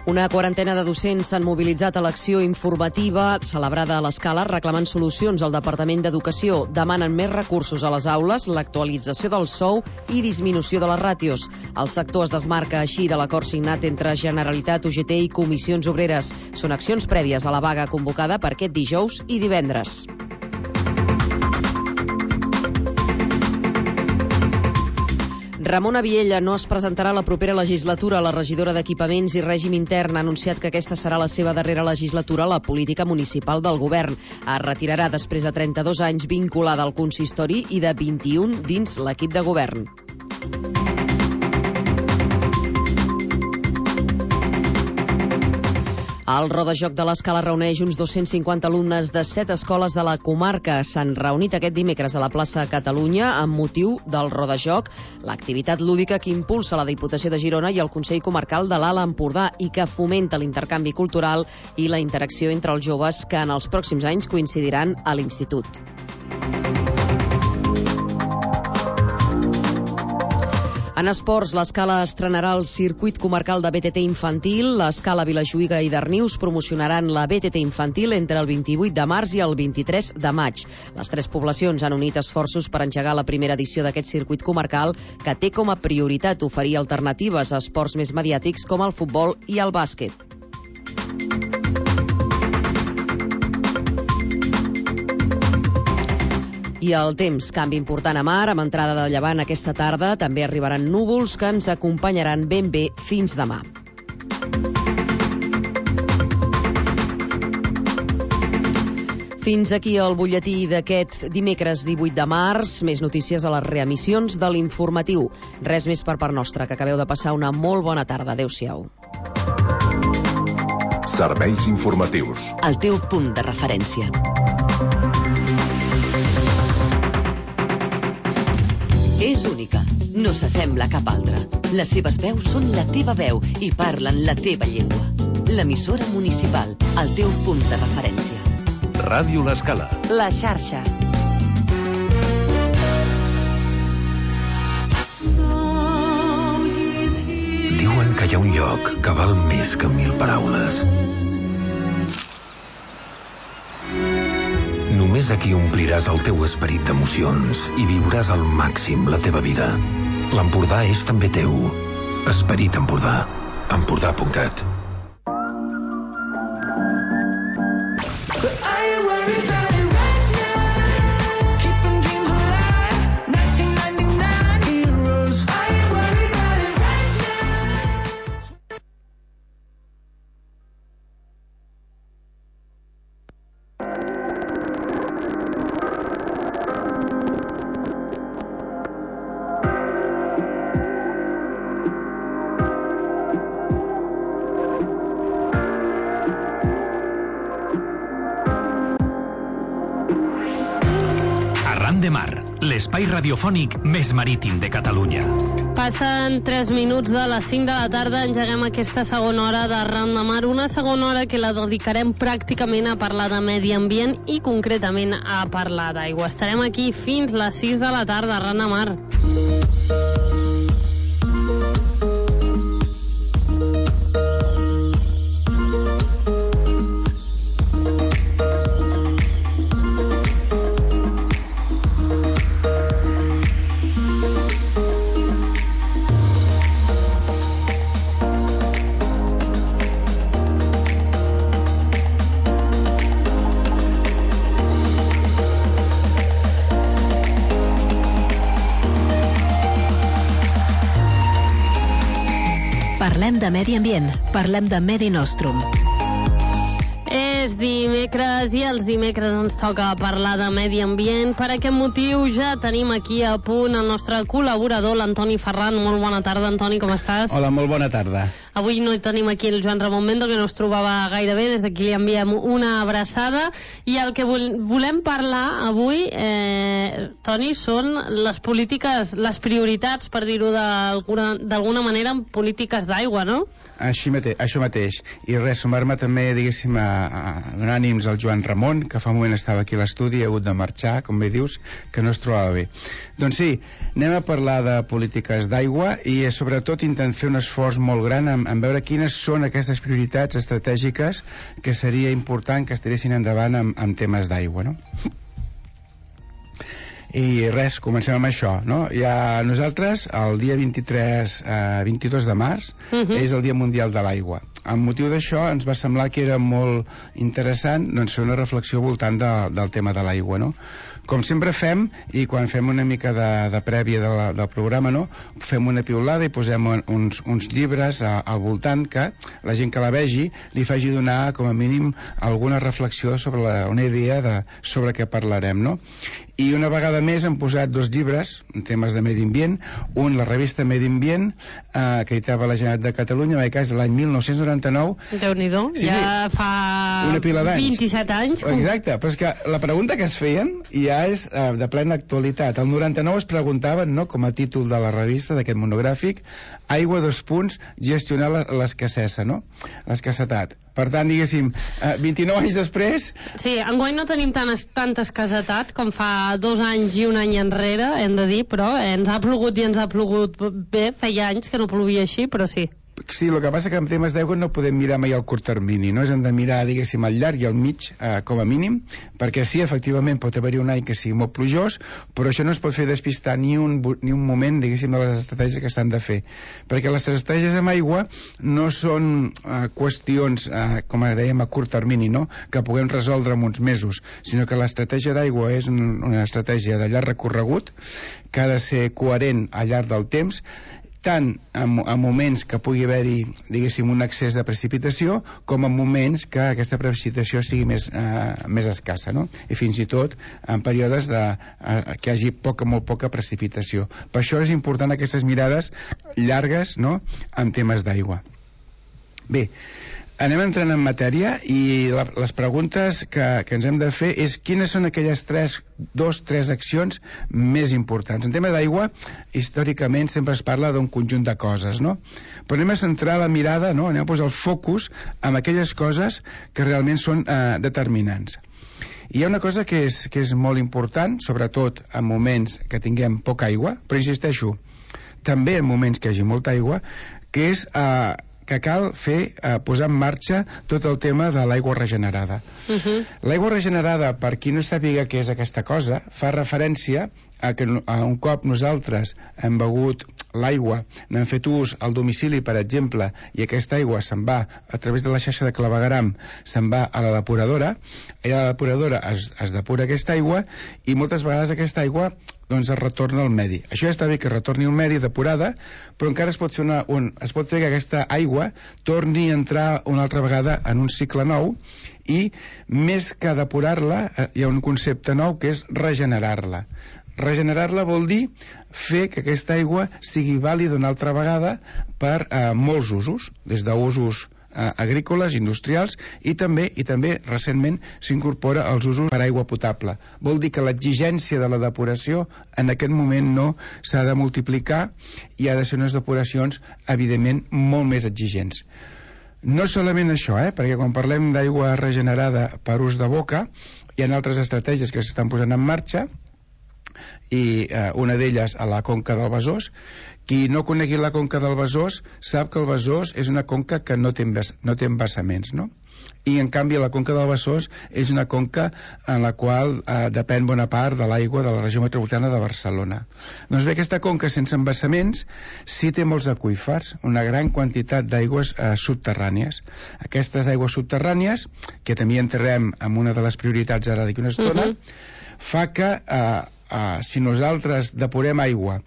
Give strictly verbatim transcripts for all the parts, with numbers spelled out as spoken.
Una quarantena de docents s'han mobilitzat a l'acció informativa celebrada a l'Escala reclamant solucions al Departament d'Educació. Demanen més recursos a les aules, l'actualització del sou i disminució de les ràtios. El sector es desmarca així de l'acord signat entre Generalitat, U G T i Comissions Obreres. Són accions prèvies a la vaga convocada per aquest dijous i divendres. Ramona Viella no es presentarà a la propera legislatura. La regidora d'Equipaments i Règim Intern ha anunciat que aquesta serà la seva darrera legislatura a la política municipal del govern. Es retirarà després de trenta-dos anys vinculada al consistori i de vint-i-un dins l'equip de govern. El Rodajoc de l'Escala reuneix uns dos-cents cinquanta alumnes de set escoles de la comarca. S'han reunit aquest dimecres a la plaça Catalunya amb motiu del Rodajoc, l'activitat lúdica que impulsa la Diputació de Girona i el Consell Comarcal de l'Alt Empordà i que fomenta l'intercanvi cultural i la interacció entre els joves que en els pròxims anys coincidiran a l'institut. En esports, l'Escala estrenarà el circuit comarcal de B T T infantil. L'Escala, Vilajuïga i Darnius promocionaran la B T T infantil entre el vint-i-vuit de març i el vint-i-tres de maig. Les tres poblacions han unit esforços per engegar la primera edició d'aquest circuit comarcal que té com a prioritat oferir alternatives a esports més mediàtics com el futbol i el bàsquet. I el temps, canvi important a mar, amb entrada de llevant aquesta tarda. També arribaran núvols que ens acompanyaran ben bé fins demà. Fins aquí el butlletí d'aquest dimecres divuit de març. Més notícies a les reemissions de l'informatiu. Res més per part nostra, que acabeu de passar una molt bona tarda. Adéu-siau. Serveis informatius. El teu punt de referència. És única, no s'assembla a cap altra. Les seves veus són la teva veu i parlen la teva llengua. L'emissora municipal, el teu punt de referència. Ràdio L'Escala. La xarxa. Diuen que hi ha un lloc que val més que mil paraules. Només aquí ompliràs el teu esperit d'emocions i viuràs al màxim la teva vida. L'Empordà és també teu. Esperit Empordà. Empordà punt cat. L'espai radiofònic més marítim de Catalunya. Passen tres minuts de les cinc de la tarda, engeguem aquesta segona hora d'Arran de Mar, una segona hora que la dedicarem pràcticament a parlar de medi ambient i concretament a parlar d'aigua. Estarem aquí fins les sis de la tarda, Arran de Mar. Parlem de medi ambient, parlem de Medi Nostrum. És dimecres i els dimecres ens toca parlar de medi ambient. Per aquest motiu ja tenim aquí a punt el nostre col·laborador, l'Antoni Ferran. Molt bona tarda, Antoni, com estàs? Hola, molt bona tarda. Avui no tenim aquí el Joan Ramon Mendo, que no es trobava gaire bé, des d'aquí li enviem una abraçada. I el que volem parlar avui, eh, Toni, són les polítiques, les prioritats, per dir-ho d'alguna manera, en polítiques d'aigua, no? Així mateix, això mateix. I res, sumar-me també, diguéssim, a, a donar ànims al Joan Ramon, que fa un moment estava aquí a l'estudi, ha hagut de marxar, com bé dius, que no es trobava bé. Doncs sí, anem a parlar de polítiques d'aigua i sobretot intentem fer un esforç molt gran en, en, en veure quines són aquestes prioritats estratègiques que seria important que es tiressin endavant amb, amb temes d'aigua, no? I res, comencem amb això, no? Ja nosaltres, el dia vint-i-tres, eh, vint-i-dos de març, uh-huh. és el Dia Mundial de l'Aigua. Amb motiu d'això ens va semblar que era molt interessant, doncs, fer una reflexió al voltant de, del tema de l'aigua, no? Com sempre fem, i quan fem una mica de, de prèvia de la, del programa, no? Fem una piulada i posem uns, uns llibres a, al voltant que la gent que la vegi li faci donar com a mínim alguna reflexió sobre la, una idea de, sobre què parlarem, no? I una vegada més hem posat dos llibres en temes de medi ambient, un la revista Medi Ambient, eh, que editava la Generalitat de Catalunya, en aquest cas l'any mil nou-cents noranta-nou. Déu-n'hi-do, sí, ja sí. fa una pila d'anys. vint-i-set anys. Com... Exacte, però és que la pregunta que es feien ja és eh, de plena actualitat. El noranta-nou es preguntaven, no, com a títol de la revista d'aquest monogràfic, aigua, dos punts, gestionar l'escassesa, no? L'escassetat. Per tant, diguéssim, eh, vint-i-nou anys després... Sí, enguany no tenim tan, tanta escassetat com fa dos anys i un any enrere, hem de dir, però eh, ens ha plogut i ens ha plogut bé, feia anys que no plovia així, però sí. Sí, el que passa que en temes d'aigua no podem mirar mai al curt termini, no? És hem de mirar, diguéssim, al llarg i al mig, eh, com a mínim, perquè sí, efectivament, pot haver-hi un any que sigui molt plujós, però això no es pot fer despistar ni un, ni un moment, diguéssim, de les estratègies que s'han de fer. Perquè les estratègies amb aigua no són eh, qüestions, eh, com dèiem, a curt termini, no? Que puguem resoldre en uns mesos, sinó que l'estratègia d'aigua és un, una estratègia de llarg recorregut, que ha de ser coherent al llarg del temps, tant en, en moments que pugui haver-hi, diguéssim, un excés de precipitació, com en moments que aquesta precipitació sigui més, eh, més escassa, no? I fins i tot en períodes de, eh, que hi hagi poca, molt poca precipitació. Per això és important aquestes mirades llargues, no?, en temes d'aigua. Bé, anem entrant en matèria i la, les preguntes que, que ens hem de fer és quines són aquelles tres, dos, tres accions més importants. En tema d'aigua, històricament sempre es parla d'un conjunt de coses, no? Però anem a centrar la mirada, no? Anem a posar el focus en aquelles coses que realment són eh, determinants. I hi ha una cosa que és, que és molt important, sobretot en moments que tinguem poca aigua, però insisteixo, també en moments que hi hagi molta aigua, que és... Eh, que cal fer, eh, posar en marxa tot el tema de l'aigua regenerada. Uh-huh. L'aigua regenerada, per qui no sàpiga què és aquesta cosa, fa referència a que a un cop nosaltres hem begut l'aigua, n'hem fet ús al domicili, per exemple, i aquesta aigua se'n va a través de la xarxa de clavegueram, se'n va a la depuradora, i a la depuradora es, es depura aquesta aigua, i moltes vegades aquesta aigua doncs es retorna al medi. Això ja està bé que retorni al medi depurada, però encara es pot fer, una, un, es pot fer que aquesta aigua torni a entrar una altra vegada en un cicle nou, i més que depurar-la, eh, hi ha un concepte nou que és regenerar-la. Regenerar-la vol dir fer que aquesta aigua sigui vàlida una altra vegada per eh, molts usos, des d'usos eh, agrícoles, industrials, i també i també recentment s'incorpora als usos per aigua potable. Vol dir que l'exigència de la depuració en aquest moment no s'ha de multiplicar i ha de ser unes depuracions evidentment molt més exigents. No solament això, eh, perquè quan parlem d'aigua regenerada per ús de boca, hi ha altres estratègies que s'estan posant en marxa, i eh, una d'elles a la conca del Besòs. Qui no conegui la conca del Besòs sap que el Besòs és una conca que no té, no té embassaments, no? I en canvi la conca del Besòs és una conca en la qual eh, depèn bona part de l'aigua de la regió metropolitana de Barcelona. Doncs bé, aquesta conca sense embassaments sí té molts aqüífers, una gran quantitat d'aigües eh, subterrànies. Aquestes aigües subterrànies, que també entrarem en una de les prioritats ara d'aquí una estona, uh-huh. fa que eh, Uh, si nosaltres depurem aigua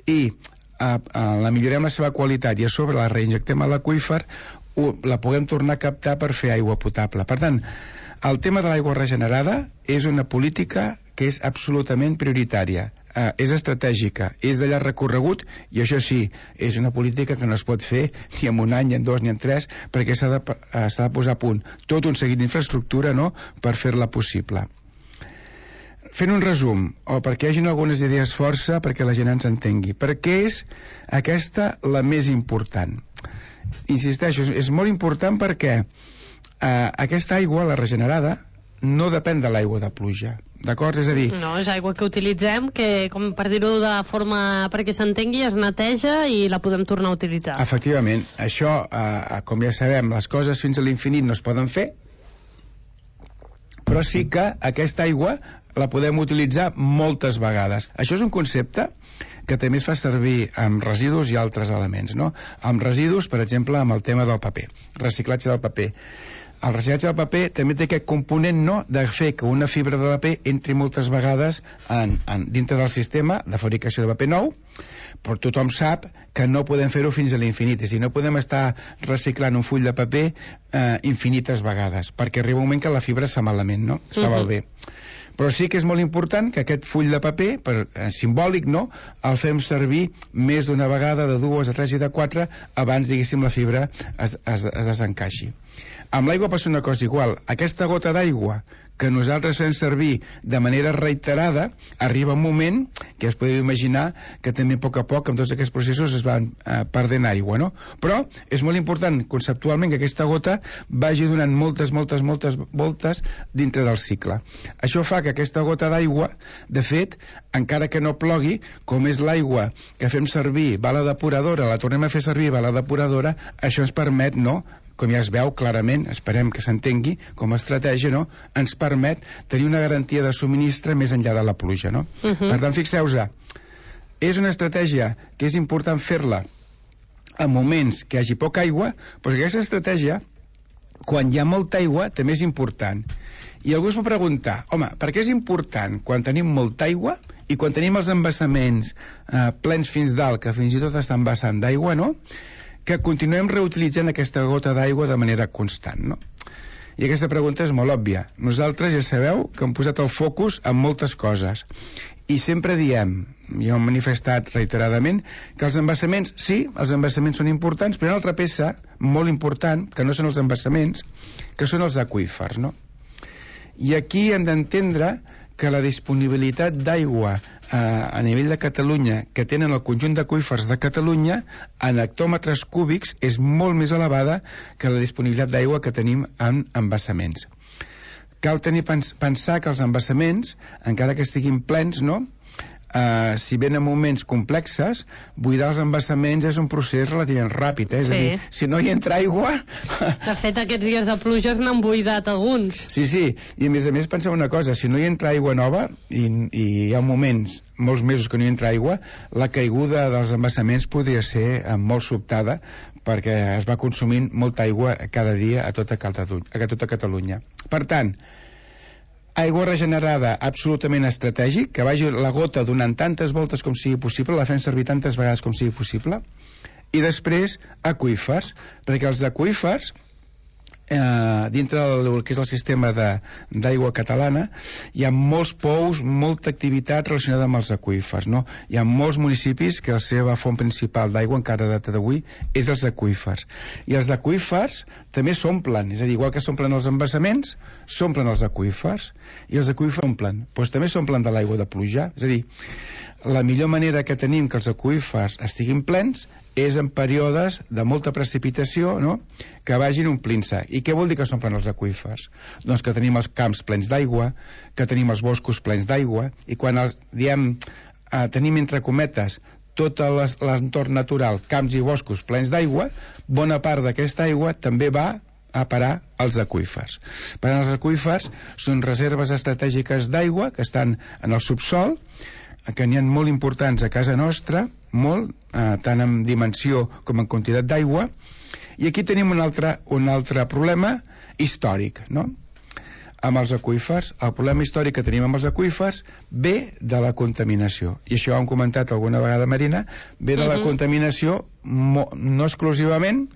i uh, uh, la millorem la seva qualitat i a sobre la reinjectem a l'aqüífer, uh, la puguem tornar a captar per fer aigua potable. Per tant, el tema de l'aigua regenerada és una política que és absolutament prioritària, uh, és estratègica, és de llarg recorregut, i això sí, és una política que no es pot fer ni en un any, ni en dos, ni en tres, perquè s'ha de, uh, s'ha de posar a punt tot un seguit d'infraestructura, no?, per fer-la possible. Fent un resum, o perquè hi hagi algunes idees força perquè la gent ens entengui. Per què és aquesta la més important? Insisteixo, és molt important perquè eh, aquesta aigua, la regenerada, no depèn de l'aigua de pluja, d'acord? És a dir... No, és aigua que utilitzem, que, com per dir-ho de forma perquè s'entengui, es neteja i la podem tornar a utilitzar. Efectivament, això, eh, com ja sabem, les coses fins a l'infinit no es poden fer, però sí que aquesta aigua la podem utilitzar moltes vegades. Això és un concepte que també es fa servir amb residus i altres elements, no? Amb residus, per exemple, amb el tema del paper, reciclatge del paper. El reciclatge del paper també té aquest component, no?, de fer que una fibra de paper entri moltes vegades en, en, dintre del sistema de fabricació de paper nou, però tothom sap que no podem fer-ho fins a l'infinit, és a dir, no podem estar reciclant un full de paper eh, infinites vegades, perquè arriba un moment que la fibra es fa malament, no?, es fa Uh-huh. malbé. Però sí que és molt important que aquest full de paper, per, eh, simbòlic, no?, el fem servir més d'una vegada, de dues, de tres i de quatre, abans, diguéssim, la fibra es, es, es desencaixi. Amb l'aigua passa una cosa igual. Aquesta gota d'aigua que nosaltres fem servir de manera reiterada, arriba un moment que es podeu imaginar que també a poc a poc amb tots aquests processos es van eh, perdent aigua, no? Però és molt important conceptualment que aquesta gota vagi donant moltes, moltes, moltes voltes dintre del cicle. Això fa que aquesta gota d'aigua, de fet, encara que no plogui, com és l'aigua que fem servir, va a la depuradora, la tornem a fer servir, va a la depuradora, això ens permet, no?, com ja es veu clarament, esperem que s'entengui com a estratègia, no?, ens permet tenir una garantia de subministre més enllà de la pluja, no? Uh-huh. Per tant, fixeu-vos, és una estratègia que és important fer-la en moments que hi hagi poca aigua, però aquesta estratègia, quan hi ha molta aigua, també és important. I algú es pot preguntar, home, per què és important quan tenim molta aigua i quan tenim els embassaments eh, plens fins dalt, que fins i tot estan vessant d'aigua, no?, que continuem reutilitzant aquesta gota d'aigua de manera constant, no? I aquesta pregunta és molt òbvia. Nosaltres ja sabeu que hem posat el focus en moltes coses i sempre diem, i ho hem manifestat reiteradament, que els embassaments, sí, els embassaments són importants, però hi ha una altra peça molt important, que no són els embassaments, que són els aqüífers, no? I aquí hem d'entendre que la disponibilitat d'aigua eh, a nivell de Catalunya que tenen el conjunt d'aqüífers de Catalunya en hectòmetres cúbics és molt més elevada que la disponibilitat d'aigua que tenim en embassaments. Cal tenir pens pensar que els embassaments, encara que estiguin plens, no?, Uh, si ben en moments complexes, buidar els embassaments és un procés relativament ràpid, eh? És Sí. a dir, si no hi entra aigua... De fet, aquests dies de pluges n'han buidat alguns. Sí, sí, i a més a més penseu una cosa, si no hi entra aigua nova, i, i hi ha moments, molts mesos que no hi entra aigua, la caiguda dels embassaments podria ser eh, molt sobtada, perquè es va consumint molta aigua cada dia a tota Catalunya. A tota Catalunya. Per tant, aigua regenerada absolutament estratègic, que vagi la gota donant tantes voltes com sigui possible, la fem servir tantes vegades com sigui possible, i després aqüífers, perquè els aqüífers eh, dintre del que és el sistema d'aigua catalana hi ha molts pous, molta activitat relacionada amb els aqüífers, no? Hi ha molts municipis que la seva font principal d'aigua encara a data d'avui és els aqüífers, i els aqüífers també s'omplen, és a dir, igual que s'omplen els embassaments, s'omplen els aqüífers, i els aqüífers s'omplen, doncs també s'omplen de l'aigua de pluja, és a dir, la millor manera que tenim que els aqüífers estiguin plens és en períodes de molta precipitació, no?, que vagin omplint-se. I què vol dir que s'omplen els aqüífers? Doncs que tenim els camps plens d'aigua, que tenim els boscos plens d'aigua, i quan els, diem, eh, tenim entre cometes tot l'entorn natural, camps i boscos plens d'aigua, bona part d'aquesta aigua també va a parar als aqüífers. Per tant, els aqüífers són reserves estratègiques d'aigua que estan en el subsol, que n'hi ha molt importants a casa nostra, molt, eh, tant en dimensió com en quantitat d'aigua, i aquí tenim un altre, un altre problema històric, no?, amb els aqüífers. El problema històric que tenim amb els aqüífers ve de la contaminació, i això ho hem comentat alguna vegada, Marina, ve de la Uh-huh. contaminació, no exclusivament,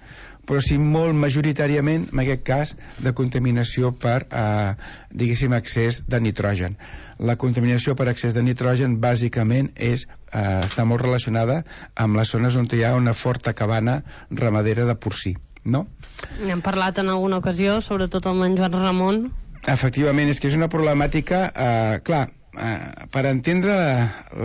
però sí molt majoritàriament, en aquest cas, de contaminació per, eh, diguéssim, excés de nitrogen. La contaminació per excés de nitrogen, bàsicament, és, eh, està molt relacionada amb les zones on hi ha una forta cabana ramadera de porcí, no? N'hem parlat en alguna ocasió, sobretot amb en Joan Ramon. Efectivament, és que és una problemàtica, eh, clar, eh, per entendre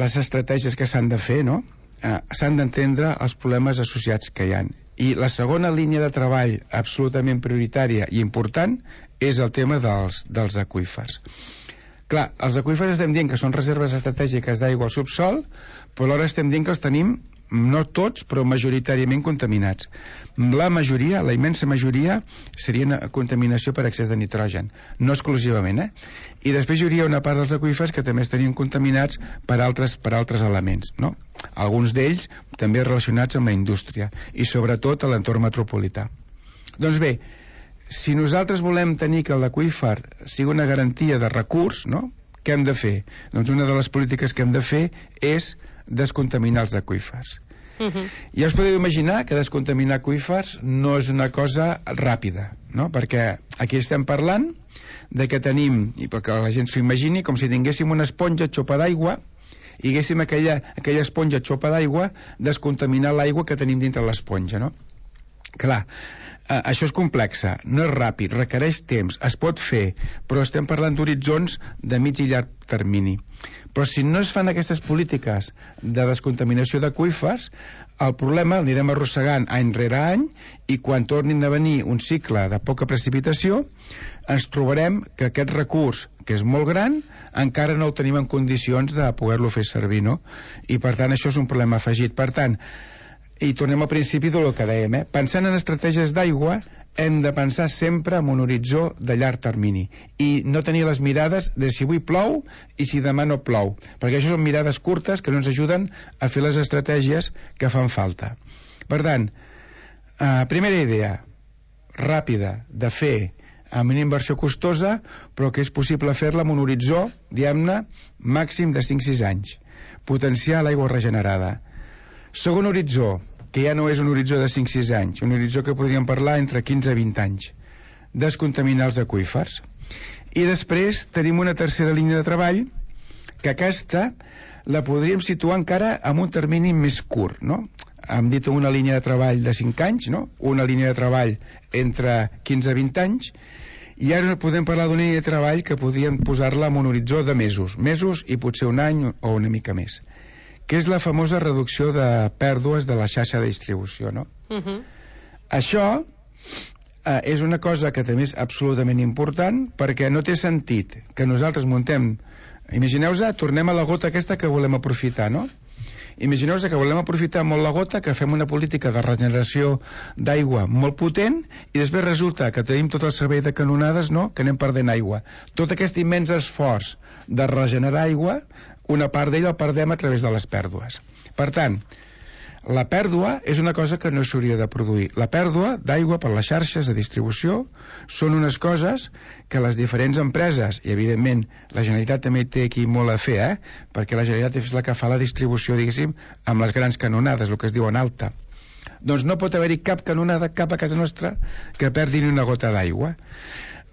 les estratègies que s'han de fer, no?, eh, s'han d'entendre els problemes associats que hi ha. I la segona línia de treball absolutament prioritària i important és el tema dels, dels aqüífers. Clar, els aqüífers estem dient que són reserves estratègiques d'aigua al subsol, però alhora estem dient que els tenim, no tots, però majoritàriament contaminats. La majoria, la immensa majoria, serien contaminació per excés de nitrogen, no exclusivament, eh? I després hi hauria una part dels aqüífers que també estarien contaminats per altres, per altres elements, no? Alguns d'ells també relacionats amb la indústria i sobretot a l'entorn metropolità. Doncs bé, si nosaltres volem tenir que l'aqüífer sigui una garantia de recurs, no? Què hem de fer? Doncs una de les polítiques que hem de fer és descontaminar els aqüífers. Uh-huh. Ja us podeu imaginar que descontaminar aqüífers no és una cosa ràpida, no? Perquè aquí estem parlant de que tenim, i perquè la gent s'ho imagini, com si tinguéssim una esponja xopa d'aigua i haguéssim aquella, aquella esponja xopa d'aigua descontaminar l'aigua que tenim dintre l'esponja, no? Clar, eh, això és complexa, no és ràpid, requereix temps, es pot fer, però estem parlant d'horitzons de mig i llarg termini. Però si no es fan aquestes polítiques de descontaminació d'aqüífers, el problema l'anirem arrossegant any rere any i quan tornin a venir un cicle de poca precipitació ens trobarem que aquest recurs, que és molt gran, encara no el tenim en condicions de poder-lo fer servir, no? I per tant això és un problema afegit. Per tant, i tornem al principi del que dèiem, eh? Pensant en estratègies d'aigua hem de pensar sempre en un horitzó de llarg termini i no tenir les mirades de si avui plou i si demà no plou, perquè això són mirades curtes que no ens ajuden a fer les estratègies que fan falta. Per tant, eh, primera idea ràpida de fer amb una inversió costosa, però que és possible fer-la amb un horitzó, diguem-ne, màxim de cinc a sis anys. Potenciar l'aigua regenerada. Segon horitzó, que ja no és un horitzó de cinc a sis anys, un horitzó que podríem parlar entre quinze a vint anys. Descontaminar els aqüífers. I després tenim una tercera línia de treball, que aquesta la podríem situar encara en un termini més curt, no? Hem dit una línia de treball de cinc anys, no? Una línia de treball entre quinze a vint anys, i ara podem parlar d'una línia de treball que podríem posar-la en un horitzó de mesos, mesos i potser un any o una mica més, que és la famosa reducció de pèrdues de la xarxa de distribució, no? Uh-huh. Això eh, és una cosa que també és absolutament important, perquè no té sentit que nosaltres muntem, imagineu-vos, tornem a la gota aquesta que volem aprofitar, no? Imagineu-vos que volem aprofitar molt la gota, que fem una política de regeneració d'aigua molt potent i després resulta que tenim tot el servei de canonades, no?, que anem perdent aigua. Tot aquest immens esforç de regenerar aigua, una part d'ell el perdem a través de les pèrdues. Per tant, la pèrdua és una cosa que no s'hauria de produir. La pèrdua d'aigua per les xarxes de distribució són unes coses que les diferents empreses, i evidentment la Generalitat també té aquí molt a fer, eh? Perquè la Generalitat és la que fa la distribució, diguéssim, amb les grans canonades, el que es diu en alta. Doncs no pot haver-hi cap canonada, cap a casa nostra, que perdi ni una gota d'aigua.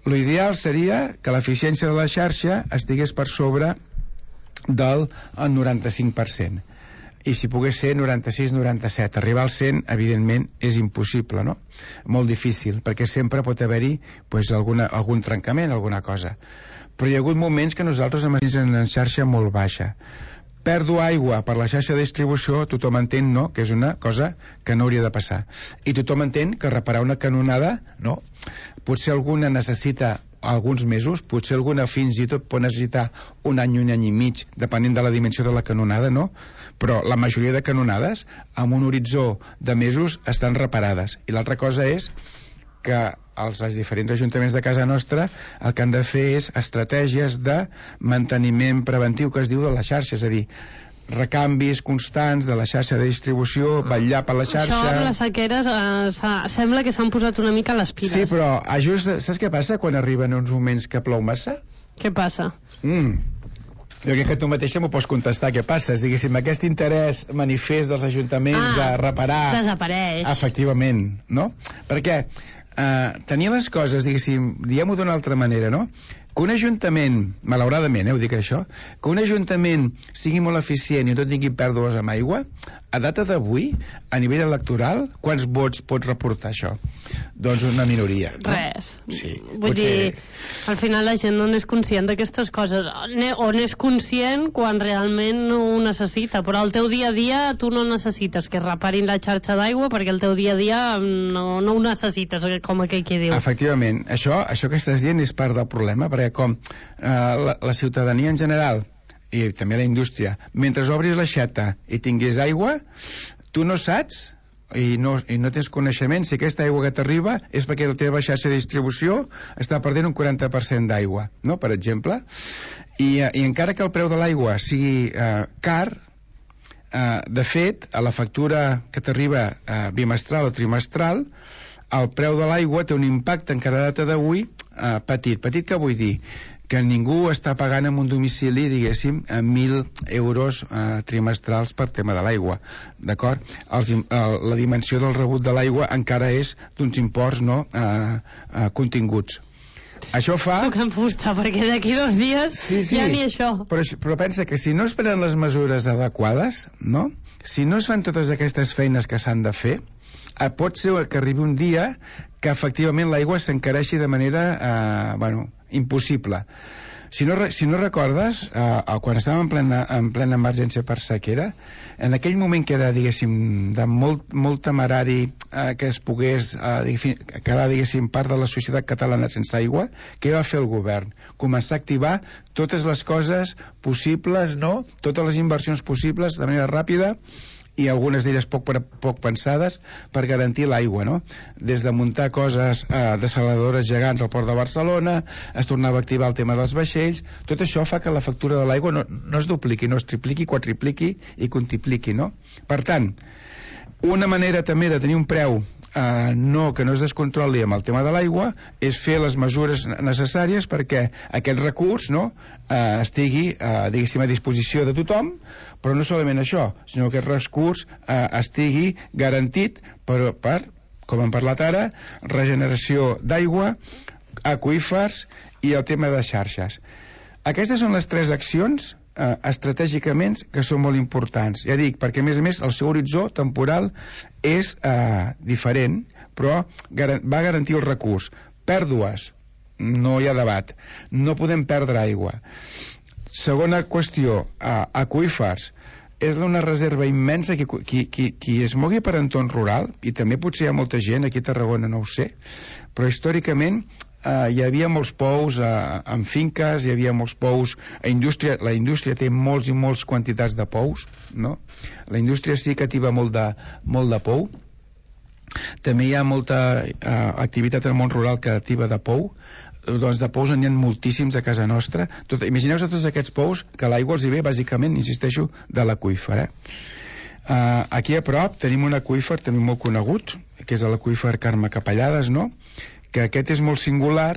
L'ideal seria que l'eficiència de la xarxa estigués per sobre del noranta-cinc per cent. I si pogués ser noranta-sis noranta-set, arribar al cent evidentment és impossible, no? Molt difícil, perquè sempre pot haver-hi pues, alguna, algun trencament, alguna cosa. Però hi ha hagut moments que nosaltres hem estat en una xarxa molt baixa. Pèrdua aigua per la xarxa de distribució, tothom entén, no?, que és una cosa que no hauria de passar. I tothom entén que reparar una canonada, no?, potser alguna necessita alguns mesos, potser alguna fins i tot pot necessitar un any, un any i mig, depenent de la dimensió de la canonada, no? Però la majoria de canonades, amb un horitzó de mesos, estan reparades. I l'altra cosa és que els, els diferents ajuntaments de casa nostra el que han de fer és estratègies de manteniment preventiu que es diu de la xarxa, és a dir, recanvis constants de la xarxa de distribució, vetllar per la xarxa... Això amb les sequeres eh, sembla que s'han posat una mica a les piles. Sí, però just, saps què passa quan arriben uns moments que plou massa? Què passa? Mm. Jo crec que tu mateixa m'ho pots contestar què passa. Diguéssim, aquest interès manifest dels ajuntaments ah, de reparar... desapareix. Efectivament, no? Perquè eh, tenir les coses, diguéssim, diguem-ho d'una altra manera, no? que un ajuntament, malauradament, eh, ho dic això, que un ajuntament sigui molt eficient i no tingui pèrdues amb aigua, a data d'avui, a nivell electoral, quants vots pot reportar això? Doncs una minoria. No? Res. Sí, Vull potser... dir, al final la gent no n'és conscient d'aquestes coses, o n'és conscient quan realment no ho necessita, però al teu dia a dia tu no necessites que es reparin la xarxa d'aigua perquè el teu dia a dia no, no ho necessites, com aquell que diu. Efectivament, això, això que estàs dient és part del problema, perquè com eh, la, la ciutadania en general i també la indústria, mentre obris l'aixeta i tingués aigua, tu no saps i no, i no tens coneixement si aquesta aigua que t'arriba és perquè la teva xarxa de distribució està perdent un quaranta per cent d'aigua, no? Per exemple, i, i encara que el preu de l'aigua sigui eh, car, eh, de fet, a la factura que t'arriba eh, bimestral o trimestral, el preu de l'aigua té un impacte encara a data d'avui eh, petit. Petit què vull dir? Que ningú està pagant en un domicili, diguéssim, mil euros eh, trimestrals per tema de l'aigua, d'acord? Els, eh, la dimensió del rebut de l'aigua encara és d'uns imports no eh, eh, continguts. Això fa... Tocant fusta, perquè d'aquí dos dies sí, sí, ja ni això. Però, però pensa que si no es prenen les mesures adequades, no? Si no es fan totes aquestes feines que s'han de fer, eh, pot ser que arribi un dia que efectivament l'aigua s'encareixi de manera, eh, bueno, impossible. Si no, si no recordes, eh, quan estàvem en plena, en plena emergència per sequera, en aquell moment que era, diguéssim, de molt, molt temerari eh, que es pogués eh, quedar, diguéssim, part de la societat catalana sense aigua, què va fer el govern? Començar a activar totes les coses possibles, no? Totes les inversions possibles de manera ràpida, i algunes d'elles poc, poc pensades per garantir l'aigua, no? Des de muntar coses eh, desaladores gegants al port de Barcelona, es tornava a activar el tema dels vaixells, tot això fa que la factura de l'aigua no, no es dupliqui, no es tripliqui, quadripliqui i quintupliqui, no? Per tant, una manera també de tenir un preu Uh, no, que no es descontroli amb el tema de l'aigua és fer les mesures necessàries perquè aquest recurs no, uh, estigui uh, diguéssim a disposició de tothom, però no solament això, sinó que aquest recurs uh, estigui garantit per, per, com hem parlat ara, regeneració d'aigua, aqüífers i el tema de xarxes. Aquestes són les tres accions eh, estratègicament que són molt importants. Ja dic, perquè a més a més el seu horitzó temporal és eh, diferent, però gar- va garantir el recurs. Pèrdues, no hi ha debat. No podem perdre aigua. Segona qüestió, eh, aqüífers. És una reserva immensa qui, qui, qui, qui es mogui per entorn rural, i també potser hi ha molta gent, aquí a Tarragona no ho sé, però històricament Uh, hi havia molts pous uh, en finques, hi havia molts pous a indústria, la indústria té molts i molts quantitats de pous, no? La indústria sí que ativa molt de, molt de pou. També hi ha molta uh, activitat en el món rural que ativa de pou. Doncs de pous n'hi ha moltíssims a casa nostra. Tot, imagineu-vos tots aquests pous que l'aigua els hi ve bàsicament, insisteixo, de l'aqüífer, eh? Uh, aquí a prop tenim un aqüífer també molt conegut, que és l'aqüífer Carme Capellades, no? Que aquest és molt singular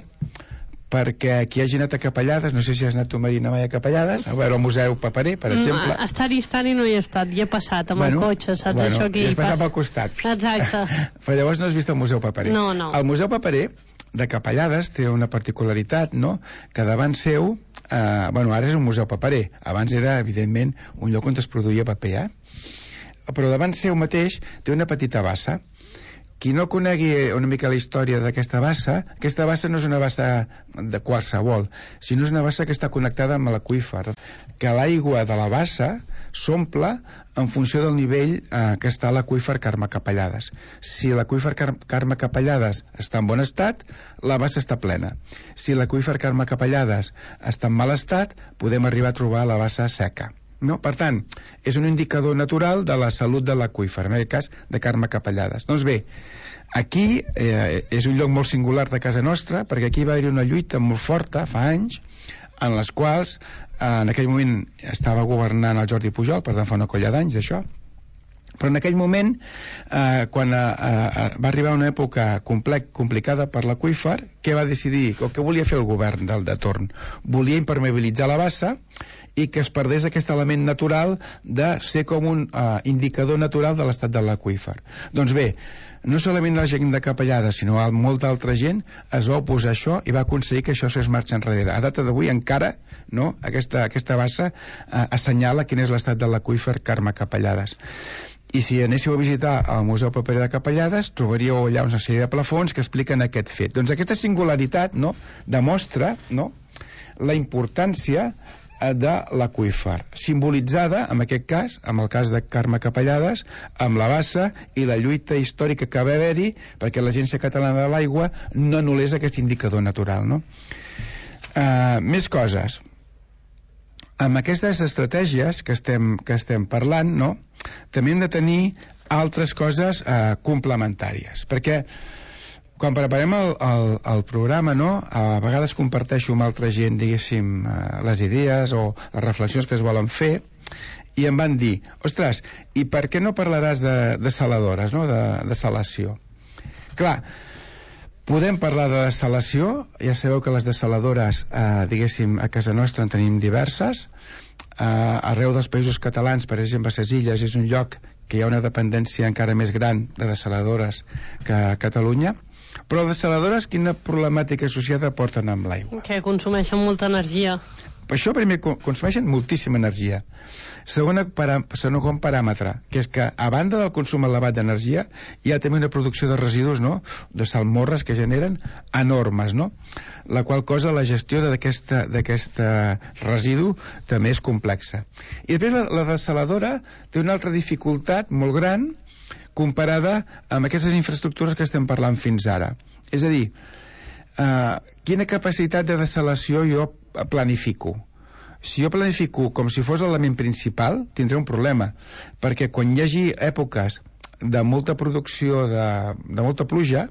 perquè qui hagi anat a Capellades, no sé si has anat tu, Marina, mai a Capellades, a veure el Museu Paperer, per exemple. Mm, estar-hi, estar-hi no hi he estat, hi he passat amb bueno, el cotxe, saps bueno, això aquí? I has passat pel costat. Exacte. Però llavors no has vist el Museu Paperer. No, no. El Museu Paperer de Capellades té una particularitat, no?, que davant seu, eh, bueno, ara és un museu paperer, abans era, evidentment, un lloc on es produïa paper, eh? Però davant seu mateix té una petita bassa. Qui no conegui una mica la història d'aquesta bassa, aquesta bassa no és una bassa de qualsevol, sinó és una bassa que està connectada amb l'aqüífer, que l'aigua de la bassa s'omple en funció del nivell eh, que està a l'aqüífer Carme Capellades. Si l'aqüífer Car Carme Capellades està en bon estat, la bassa està plena. Si l'aqüífer Carme Capellades està en mal estat, podem arribar a trobar la bassa seca. No? Per tant, és un indicador natural de la salut de l'aqüífer, en aquest cas de Carme Capellades. Doncs bé, aquí eh, és un lloc molt singular de casa nostra, perquè aquí va haver una lluita molt forta fa anys, en les quals eh, en aquell moment estava governant el Jordi Pujol, per tant fa una colla d'anys d'això, però en aquell moment eh, quan eh, eh, va arribar una època complex, complicada per l'aqüífer, què va decidir, o què volia fer el govern del de torn? Volia impermeabilitzar la bassa i que es perdés aquest element natural de ser com un uh, indicador natural de l'estat de l'aqüífer. Doncs bé, no solament la gent de Capellades, sinó molta altra gent es va oposar a això i va aconseguir que això es marxa enrere. A data d'avui encara no, aquesta, aquesta bassa uh, assenyala quin és l'estat de l'aqüífer Carme Capellades. I si anéssiu a visitar el Museu Paperer de Capellades, trobaríeu allà una sèrie de plafons que expliquen aquest fet. Doncs aquesta singularitat, no, demostra, no, la importància de l'aqüífer, simbolitzada, en aquest cas, en el cas de Carme Capellades, amb la bassa i la lluita històrica que va haver-hi perquè l'Agència Catalana de l'Aigua no anul·lés aquest indicador natural, no? Uh, més coses. Amb aquestes estratègies que estem, que estem parlant, no, també hem de tenir altres coses uh, complementàries, perquè quan preparem el, el, el programa, no, a vegades comparteixo amb altra gent, diguéssim, les idees o les reflexions que es volen fer, i em van dir, ostres, i per què no parlaràs de, de saladores, no, de, de salació? Clar, podem parlar de salació, ja sabeu que les desaladores, eh, diguéssim, a casa nostra en tenim diverses, eh, arreu dels països catalans, per exemple, a les Illes, és un lloc que hi ha una dependència encara més gran de desaladores que a Catalunya. Però les desaladores, quina problemàtica associada porten amb l'aigua? Que consumeixen molta energia. Per això, primer, consumeixen moltíssima energia. Segona, para, segon paràmetre, que és que, a banda del consum elevat d'energia, hi ha també una producció de residus, no?, de salmorres que generen enormes, no?, la qual cosa, la gestió d'aquest residu també és complexa. I després la, la desaladora té una altra dificultat molt gran comparada amb aquestes infraestructures que estem parlant fins ara. És a dir, eh, quina capacitat de desalació jo planifico? Si jo planifico com si fos l'element principal, tindré un problema, perquè quan hi hagi èpoques de molta producció, de, de molta pluja,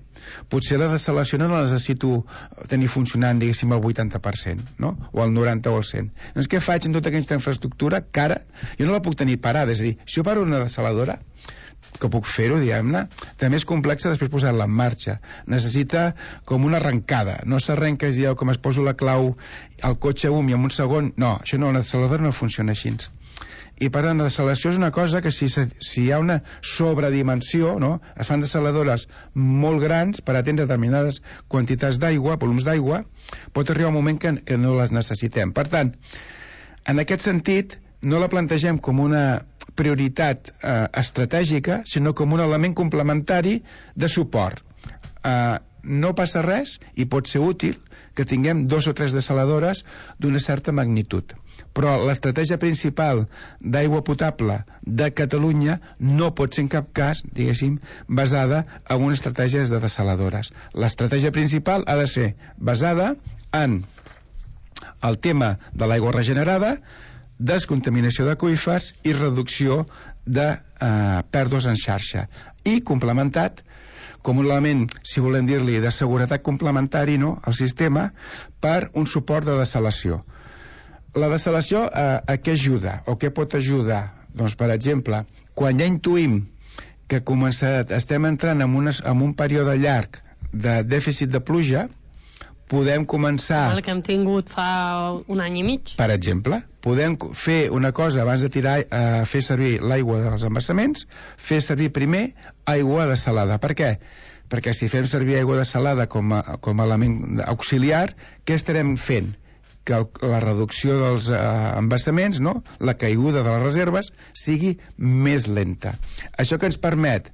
potser la desalació no la necessito tenir funcionant, diguéssim, al vuitanta per cent, no? O al noranta o al cent. Doncs què faig en tota aquesta infraestructura que ara jo no la puc tenir parada? És a dir, si jo paro una desaladora, que puc fer-ho, diguem-ne, també és complexa després posar-la en marxa. Necessita com una arrencada. No s'arrenca, es diu, com es poso la clau al cotxe um i en un segon. No, això no, la desaladora no funciona així. I per tant, la desalació és una cosa que si, si hi ha una sobredimensió, no? Es fan desaladores molt grans per atendre determinades quantitats d'aigua, volums d'aigua, pot arribar un moment que, que no les necessitem. Per tant, en aquest sentit, no la plantegem com una prioritat eh, estratègica, sinó com un element complementari de suport. Eh, no passa res i pot ser útil que tinguem dos o tres desaladores d'una certa magnitud. Però l'estratègia principal d'aigua potable de Catalunya no pot ser en cap cas, diguéssim, basada en unes estratègies de desaladores. L'estratègia principal ha de ser basada en el tema de l'aigua regenerada, descontaminació d'aqüífers i reducció de eh, pèrdues en xarxa. I complementat com un element, si volem dir-li, de seguretat complementari, no?, al sistema per un suport de desalació. La desalació eh, a què ajuda o què pot ajudar? Doncs, per exemple, quan ja intuïm que començat, estem entrant en, unes, en un període llarg de dèficit de pluja, podem començar... El que hem tingut fa un any i mig. Per exemple, podem fer una cosa abans de tirar a eh, fer servir l'aigua dels embassaments, fer servir primer aigua desalada. Per què? Perquè si fem servir aigua desalada com a, com a element auxiliar, què estarem fent? Que el, la reducció dels eh, embassaments, no?, la caiguda de les reserves, sigui més lenta. Això que ens permet,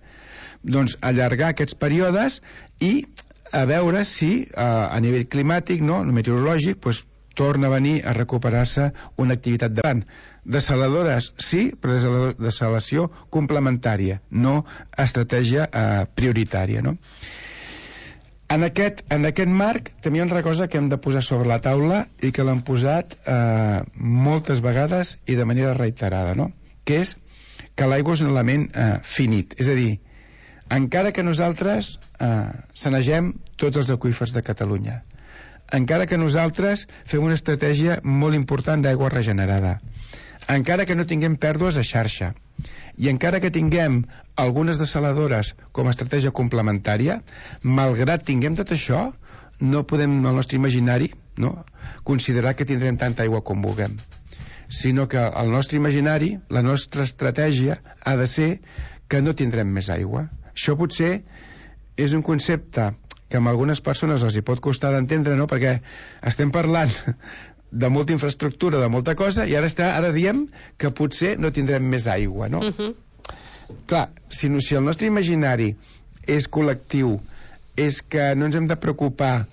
doncs, allargar aquests períodes i a veure si eh, a nivell climàtic, no, meteorològic, pues, torna a venir a recuperar-se una activitat de gran. Desaladores, sí, però desalació complementària, no estratègia eh, prioritària, no? En aquest, en aquest marc també hi ha una cosa que hem de posar sobre la taula i que l'hem posat eh, moltes vegades i de manera reiterada, no?, que és que l'aigua és un element eh, finit, és a dir, encara que nosaltres eh, sanegem tots els aqüífers de Catalunya, encara que nosaltres fem una estratègia molt important d'aigua regenerada, encara que no tinguem pèrdues a xarxa i encara que tinguem algunes desaladores com a estratègia complementària, malgrat tinguem tot això, no podem, en el nostre imaginari, no, considerar que tindrem tanta aigua com vulguem. sinó que el nostre imaginari, la nostra estratègia ha de ser que no tindrem més aigua. Això potser és un concepte que a algunes persones els hi pot costar d'entendre, no? Perquè estem parlant de molta infraestructura, de molta cosa, i ara, està, ara diem que potser no tindrem més aigua, no? Uh-huh. Clar, si, no, si el nostre imaginari és col·lectiu, és que no ens hem de preocupar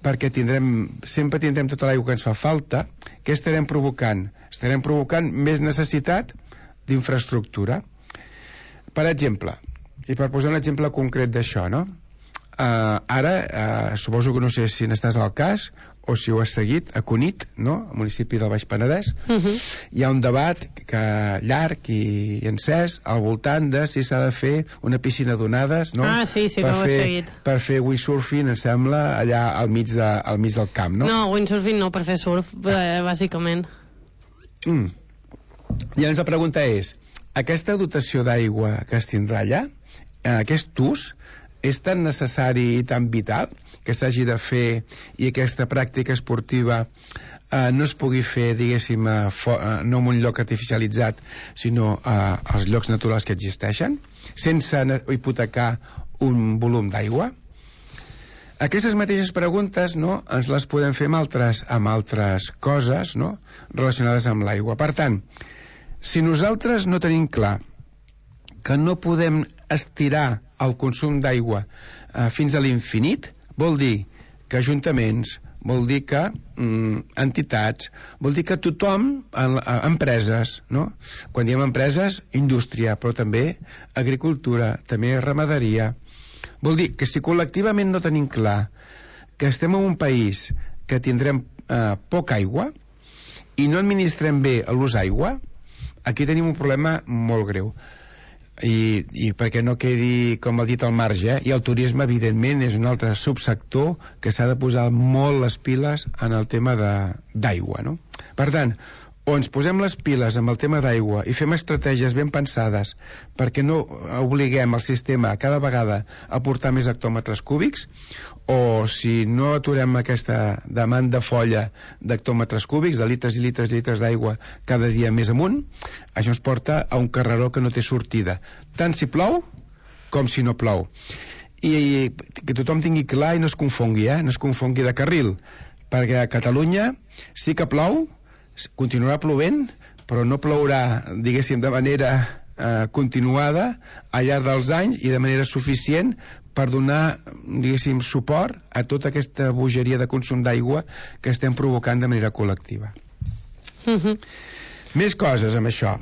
perquè tindrem, sempre tindrem tota l'aigua que ens fa falta, què estarem provocant? Estarem provocant més necessitat d'infraestructura. Per exemple, i per posar un exemple concret d'això, no? Uh, ara, uh, suposo que no sé si n'estàs al cas o si ho has seguit, a Cunit, no? Al municipi del Baix Penedès, uh-huh. hi ha un debat que, llarg i encès al voltant de si s'ha de fer una piscina d'onades, no? Ah, sí, sí, per no ho he seguit. Per fer windsurfing, em sembla, allà al mig, de, al mig del camp, no? No, windsurfing no, per fer surf, eh, bàsicament. Mm. Llavors la pregunta és, aquesta dotació d'aigua que es tindrà allà, eh, aquest ús, és tan necessari i tan vital que s'hagi de fer i aquesta pràctica esportiva eh, no es pugui fer, diguéssim, eh, fo, eh, no en un lloc artificialitzat, sinó eh, als llocs naturals que existeixen, sense hipotecar un volum d'aigua? Aquestes mateixes preguntes, no, ens les podem fer amb altres, amb altres coses, no, relacionades amb l'aigua. Per tant, si nosaltres no tenim clar que no podem estirar el consum d'aigua eh, fins a l'infinit, vol dir que ajuntaments, vol dir que mm, entitats, vol dir que tothom, en, en, empreses, no? Quan diem empreses, indústria, però també agricultura, també ramaderia. Vol dir que si col·lectivament no tenim clar que estem en un país que tindrem eh, poca aigua i no administrem bé l'ús aigua, aquí tenim un problema molt greu. I, i perquè no quedi, com ha dit, al marge, eh? I el turisme, evidentment, és un altre subsector que s'ha de posar molt les piles en el tema d'aigua, no? Per tant, o ens posem les piles amb el tema d'aigua i fem estratègies ben pensades perquè no obliguem el sistema cada vegada a portar més hectòmetres cúbics, o si no aturem aquesta demanda folla d'hectòmetres cúbics, de litres i litres i litres d'aigua cada dia més amunt, això ens porta a un carreró que no té sortida, tant si plou com si no plou. I, i que tothom tingui clar i no es confongui, eh? no es confongui de carril, perquè a Catalunya sí que plou, continuarà plovent, però no plourà, diguéssim, de manera eh, continuada al llarg dels anys i de manera suficient per donar, diguéssim, suport a tota aquesta bogeria de consum d'aigua que estem provocant de manera col·lectiva. Uh-huh. Més coses amb això,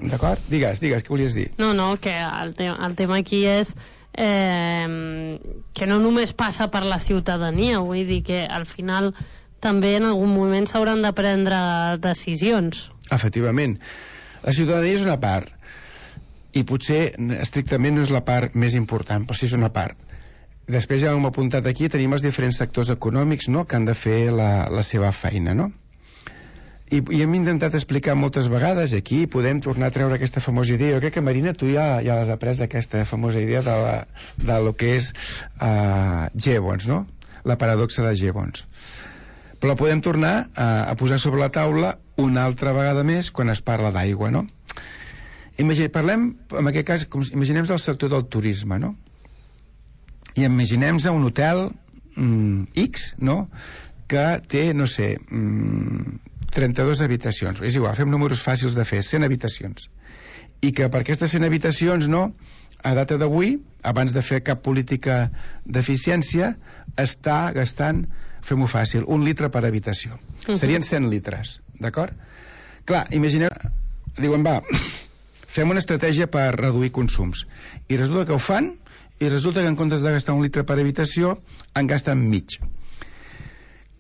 d'acord? Digues, digues, què volies dir? No, no, que el, te el tema aquí és eh, que no només passa per la ciutadania, vull dir que al final també en algun moment s'hauran de prendre decisions. Efectivament. La ciutadania és una part, i potser estrictament no és la part més important, però sí és una part. Després ja hem apuntat aquí, tenim els diferents sectors econòmics, no?, que han de fer la, la seva feina, no? I, i hem intentat explicar moltes vegades, aquí podem tornar a treure aquesta famosa idea. Jo crec que, Marina, tu ja, ja l'has après, aquesta famosa idea de, la, de lo que és uh, Gibbons, no?, la paradoxa de Gibbons. Però la podem tornar a, a posar sobre la taula una altra vegada més quan es parla d'aigua, no? Imaginem, parlem, en aquest cas, com, imaginem el sector del turisme, no? I imaginem un hotel mm, X, no?, que té, no sé, mm, trenta-dues habitacions. És igual, fem números fàcils de fer, cent habitacions. I que per aquestes cent habitacions, no?, a data d'avui, abans de fer cap política d'eficiència, està gastant, fem-ho fàcil, un litre per habitació. Uh-huh. Serien cent litres, d'acord? Clar, imagineu, diuen, va, fem una estratègia per reduir consums. I resulta que ho fan, i resulta que en comptes de gastar un litre per habitació, en gasten mig.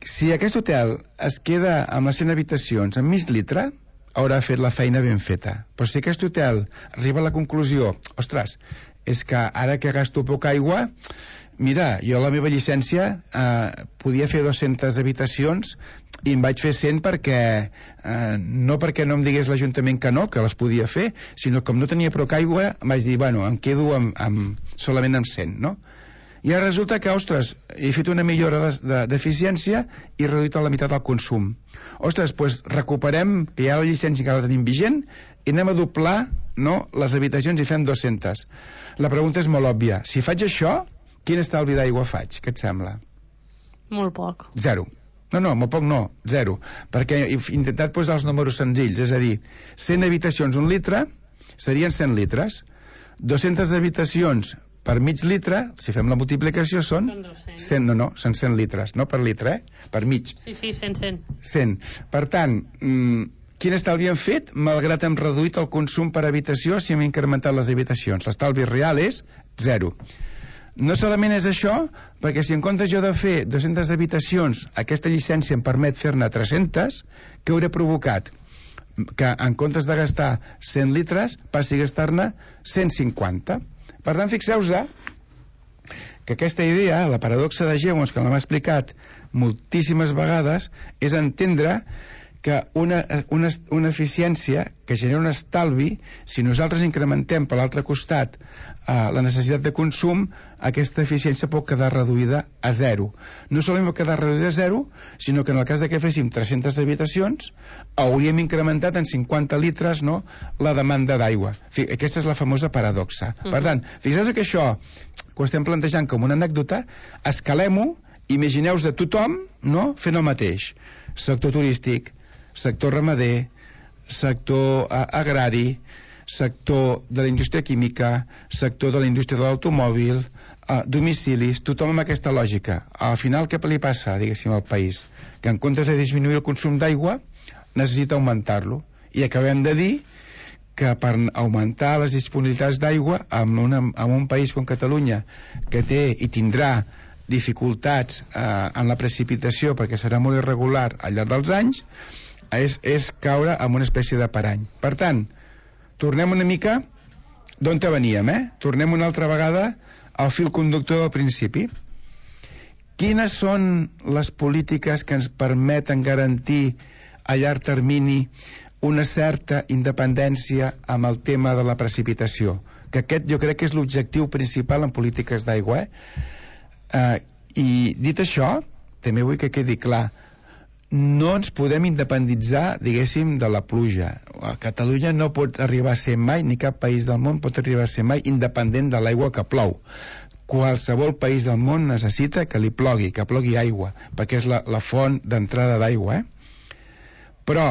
Si aquest hotel es queda amb les cent habitacions amb mig litre, haurà fet la feina ben feta. Però si aquest hotel arriba a la conclusió, ostres, és que ara que gasto poca aigua, mira, jo la meva llicència eh, podia fer dues-centes habitacions i em vaig fer cent perquè eh, no perquè no em digués l'Ajuntament que no, que les podia fer, sinó que com no tenia prou aigua em vaig dir, bueno, em quedo amb, amb, solament amb cent, no? I ara resulta que, ostres, he fet una millora d'eficiència i he reduït a la meitat el consum. Ostres, doncs recuperem, que ja la llicència que la tenim vigent, i anem a doblar, no, les habitacions i fem dues-centes. La pregunta és molt òbvia. Si faig això, quin estalvi d'aigua faig? Què et sembla? Molt poc. Zero. No, no, molt poc no, zero. Perquè he intentat posar els números senzills, és a dir, cent habitacions, un litre, serien cent litres. dues-centes habitacions per mig litre, si fem la multiplicació, són cent, no, no, són cent litres, no per litre, eh? Per mig. Sí, sí, cent, cent. cent. Per tant, mmm, quin estalvi hem fet, malgrat hem reduït el consum per habitació si hem incrementat les habitacions? L'estalvi real és zero. No solament és això, perquè si en comptes jo de fer dues-centes habitacions, aquesta llicència em permet fer-ne tres-centes, què hauré provocat? Que en comptes de gastar cent litres passi a gastar-ne cent cinquanta. Per tant, fixeu-vos que aquesta idea, la paradoxa de Jevons, que l'hem explicat moltíssimes vegades, és entendre que una, una, una eficiència que genera un estalvi, si nosaltres incrementem per l'altre costat eh, la necessitat de consum, aquesta eficiència pot quedar reduïda a zero. No solament pot quedar reduïda a zero, sinó que en el cas de que féssim tres-centes habitacions, hauríem incrementat en cinquanta litres, no, la demanda d'aigua. Aquesta és la famosa paradoxa. Uh-huh. Per tant, fixeu-vos que això, que ho estem plantejant com una anècdota, escalem-ho, imagineu-vos a tothom, no, fent el mateix. Sector turístic, sector ramader, sector eh, agrari, sector de la indústria química, sector de la indústria de l'automòbil, eh, domicilis, tothom amb aquesta lògica. Al final, què li passa, diguéssim, al país? Que en comptes de disminuir el consum d'aigua, necessita augmentar-lo. I acabem de dir que per augmentar les disponibilitats d'aigua en, una, en un país com Catalunya, que té i tindrà dificultats eh, en la precipitació perquè serà molt irregular al llarg dels anys, és, és caure en una espècie de parany. Per tant, tornem una mica d'on te veníem, eh? Tornem una altra vegada al fil conductor del principi. Quines són les polítiques que ens permeten garantir a llarg termini una certa independència amb el tema de la precipitació? Que aquest jo crec que és l'objectiu principal en polítiques d'aigua, eh? Uh, I dit això, també vull que quedi clar, no ens podem independitzar, diguéssim, de la pluja. A Catalunya no pot arribar a ser mai, ni cap país del món pot arribar a ser mai independent de l'aigua que plou. Qualsevol país del món necessita que li plogui, que plogui aigua, perquè és la, la font d'entrada d'aigua, eh? Però,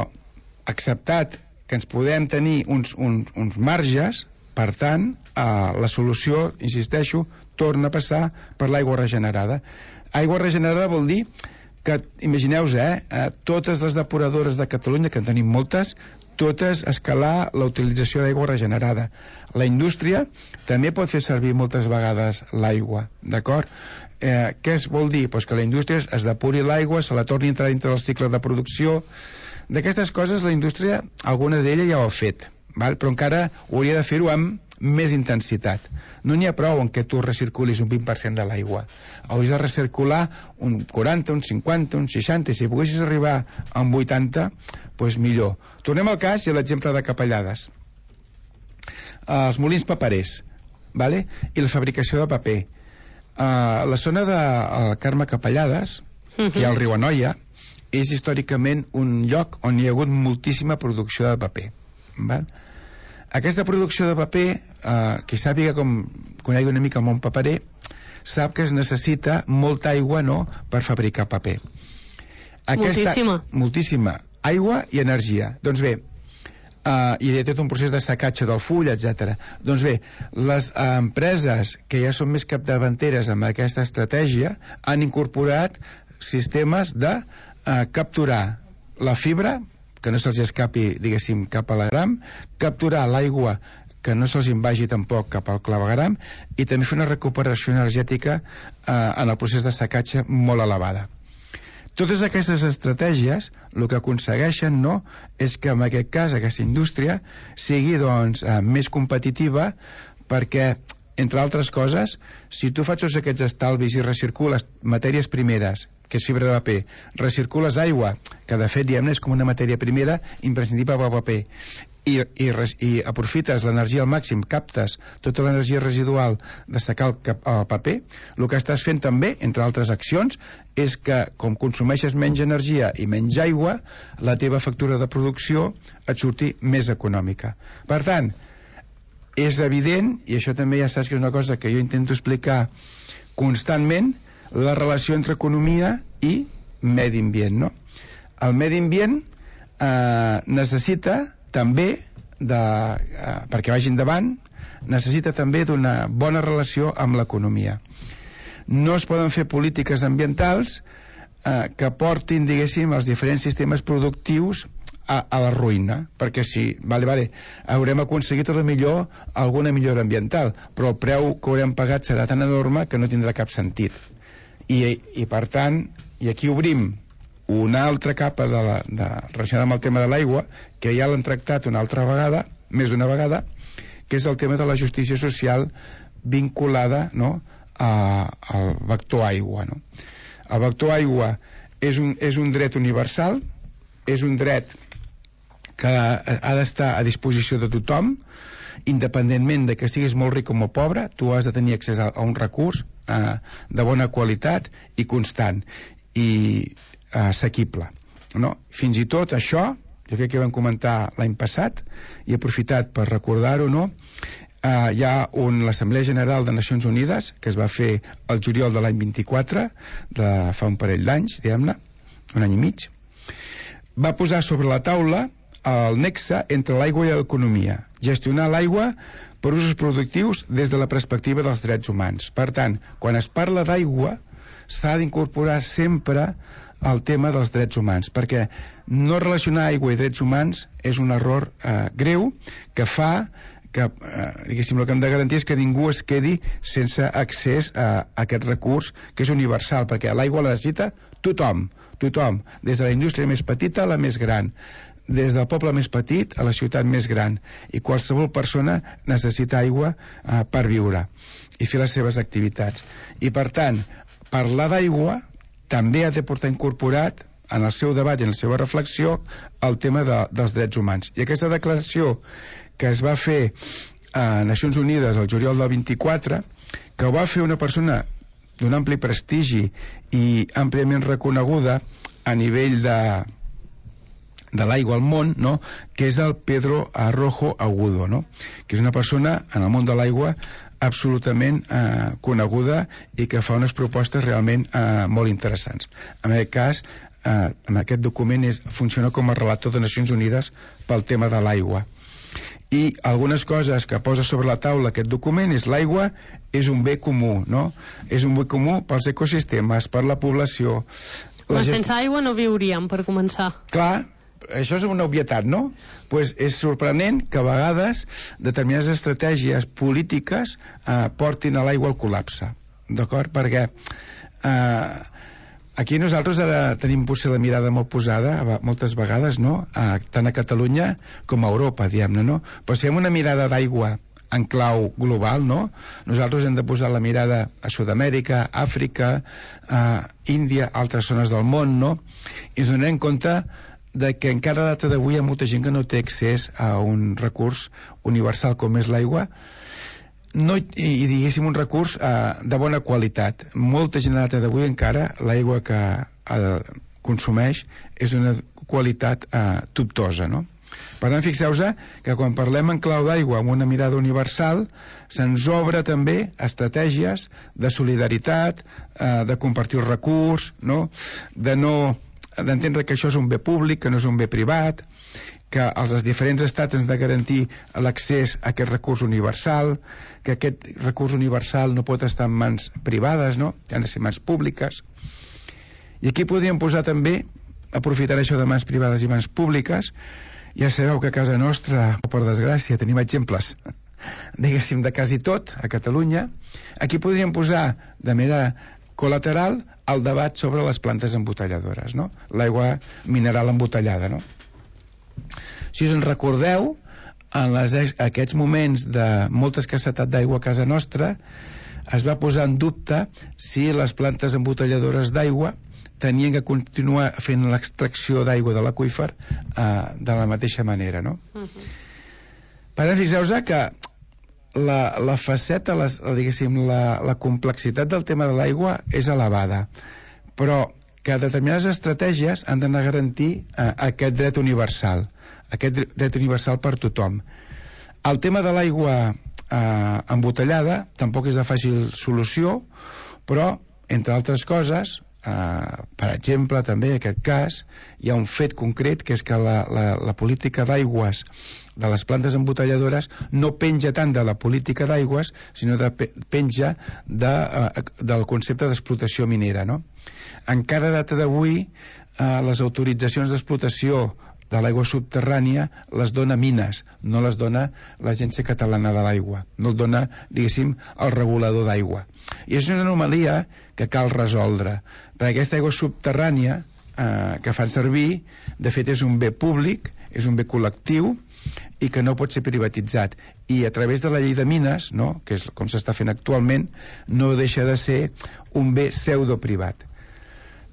acceptat que ens podem tenir uns, uns, uns marges, per tant, eh, la solució, insisteixo, torna a passar per l'aigua regenerada. Aigua regenerada vol dir que, imagineu-vos, eh, eh, totes les depuradores de Catalunya, que en tenim moltes, totes escalar la utilització d'aigua regenerada. La indústria també pot fer servir moltes vegades l'aigua, d'acord? Eh, què es vol dir? Pues que la indústria es depuri l'aigua, se la torni a entrar dintre del cicle de producció. D'aquestes coses la indústria, alguna d'ella ja ho ha fet, val? Però encara hauria de fer-ho amb més intensitat. No n'hi ha prou en què tu recirculis un vint per cent de l'aigua. Hauries de recircular un quaranta, un cinquanta, un seixanta, i si poguessis arribar a un vuitanta, doncs millor. Tornem al cas i a l'exemple de Capellades. Els molins paperers, vale? I la fabricació de paper. Uh, la zona de uh, Carme Capellades, que hi ha al riu Anoia, és històricament un lloc on hi ha hagut moltíssima producció de paper. Val? Aquesta producció de paper, eh, qui sàpiga com conegui una mica el món paperer, sap que es necessita molta aigua, no?, per fabricar paper. Aquesta, moltíssima. Moltíssima. Aigua i energia. Doncs bé, eh, i hi ha tot un procés de secatge del full, etcètera. Doncs bé, les eh, empreses que ja són més capdavanteres amb aquesta estratègia han incorporat sistemes de eh, capturar la fibra, que no se'ls escapi, diguéssim, cap a l'agram, capturar l'aigua que no se'ls invagi tampoc cap al clavegram, i també fer una recuperació energètica eh, en el procés de secatge molt elevada. Totes aquestes estratègies el que aconsegueixen, no, és que en aquest cas aquesta indústria sigui, doncs, eh, més competitiva, perquè entre altres coses, si tu fas tots aquests estalvis i recircules matèries primeres, que és fibra de paper, recircules aigua, que de fet diguem-ne és com una matèria primera imprescindible per al paper, i, i, i aprofites l'energia al màxim, captes tota l'energia residual de secar el, el paper, el que estàs fent també, entre altres accions, és que com consumeixes menys energia i menys aigua, la teva factura de producció et surti més econòmica. Per tant, és evident, i això també ja saps que és una cosa que jo intento explicar constantment, la relació entre economia i medi ambient, no? El medi ambient eh, necessita també, de, eh, perquè vagi endavant, necessita també d'una bona relació amb l'economia. No es poden fer polítiques ambientals eh, que portin, diguéssim, els diferents sistemes productius a, a la ruïna, perquè si, vale, vale, haurem aconseguit a lo millor alguna millora ambiental, però el preu que haurem pagat serà tan enorme que no tindrà cap sentit. I, i per tant, i aquí obrim una altra capa de la, de, relacionada amb el tema de l'aigua, que ja l'han tractat una altra vegada, més d'una vegada, que és el tema de la justícia social vinculada, no?, a, al vector aigua, no? El vector aigua és un, és un dret universal, és un dret que ha d'estar a disposició de tothom, independentment de que siguis molt ric o molt pobre, tu has de tenir accés a, a un recurs eh, de bona qualitat i constant i eh, assequible, no? Fins i tot això, jo crec que vam comentar l'any passat i he aprofitat per recordar-ho, no? Uh, hi ha un, l'Assemblea General de Nacions Unides, que es va fer el juliol de l'any vint-i-quatre, de fa un parell d'anys, diguem-ne, un any i mig, va posar sobre la taula el nexe entre l'aigua i l'economia, gestionar l'aigua per usos productius des de la perspectiva dels drets humans. Per tant, quan es parla d'aigua, s'ha d'incorporar sempre el tema dels drets humans, perquè no relacionar aigua i drets humans és un error eh, greu que fa que, eh, diguéssim, el que hem de garantir és que ningú es quedi sense accés a, a aquest recurs que és universal, perquè l'aigua la necessita tothom, tothom, des de la indústria més petita a la més gran, des del poble més petit a la ciutat més gran, i qualsevol persona necessita aigua eh, per viure i fer les seves activitats. I per tant, parlar d'aigua també ha de portar incorporat en el seu debat i en la seva reflexió el tema de, dels drets humans. I aquesta declaració que es va fer a Nacions Unides el juliol del vint-i-quatre, que ho va fer una persona d'un ampli prestigi i àmpliament reconeguda a nivell de, de l'aigua al món, no?, que és el Pedro Arrojo Agudo, no?, que és una persona en el món de l'aigua absolutament eh, coneguda i que fa unes propostes realment eh, molt interessants. En aquest cas, eh, en aquest document és, funciona com a relator de Nacions Unides pel tema de l'aigua. I algunes coses que posa sobre la taula aquest document és l'aigua és un bé comú, no? És un bé comú pels ecosistemes, per la població. La Però sense gest... aigua no viuríem, per començar. Clar, això és una obvietat, no? Pues és sorprenent que a vegades determinades estratègies polítiques eh, portin a l'aigua al col·lapse, d'acord? Perquè eh, aquí nosaltres ara tenim potser la mirada molt posada moltes vegades, no?, a, tant a Catalunya com a Europa, diguem-ne, no? Però si fem una mirada d'aigua en clau global, no?, nosaltres hem de posar la mirada a Sud-amèrica, Àfrica, a Índia, altres zones del món, no?, i ens donem compte de que encara a data d'avui hi ha molta gent que no té accés a un recurs universal com és l'aigua, no, i, i diguéssim un recurs eh, de bona qualitat. Molta gent a data d'avui encara l'aigua que eh, consumeix és d'una qualitat eh, dubtosa, no? Per tant, fixeu-vos que quan parlem en clau d'aigua amb una mirada universal se'ns obre també estratègies de solidaritat, eh, de compartir el recurs, no?, de no d'entendre que això és un bé públic, que no és un bé privat, que els diferents estats ens de garantir l'accés a aquest recurs universal, que aquest recurs universal no pot estar en mans privades, no?, han de ser mans públiques. I aquí podríem posar també, aprofitar això de mans privades i mans públiques, ja sabeu que a casa nostra, per desgràcia, tenim exemples, diguéssim, de quasi tot, a Catalunya. Aquí podríem posar de manera col·lateral el debat sobre les plantes embotelladores, no?, l'aigua mineral embotellada, no? Si us en recordeu, en les, aquests moments de molta escassetat d'aigua a casa nostra, es va posar en dubte si les plantes embotelladores d'aigua tenien que continuar fent l'extracció d'aigua de l'aqüífer eh, de la mateixa manera, no? Uh-huh. Per tant, fixeu-vos que la, la faceta, les, diguéssim, la, la complexitat del tema de l'aigua és elevada, però que determinades estratègies han d'anar a garantir eh, aquest dret universal, aquest dret universal per tothom. El tema de l'aigua eh, embotellada tampoc és de fàcil solució, però, entre altres coses, Uh, per exemple, també en aquest cas hi ha un fet concret, que és que la, la, la política d'aigües de les plantes embotelladores no penja tant de la política d'aigües, sinó de, penja de, uh, del concepte d'explotació minera, no? Encara a data d'avui uh, les autoritzacions d'explotació de l'aigua subterrània les dona Mines, no les dona l'Agència Catalana de l'Aigua, no el dona, diguéssim, el regulador d'aigua. I és una anomalia que cal resoldre, perquè aquesta aigua subterrània eh, que fan servir, de fet és un bé públic, és un bé col·lectiu i que no pot ser privatitzat, i a través de la llei de Mines, no?, que és com s'està fent actualment, no deixa de ser un bé pseudo-privat,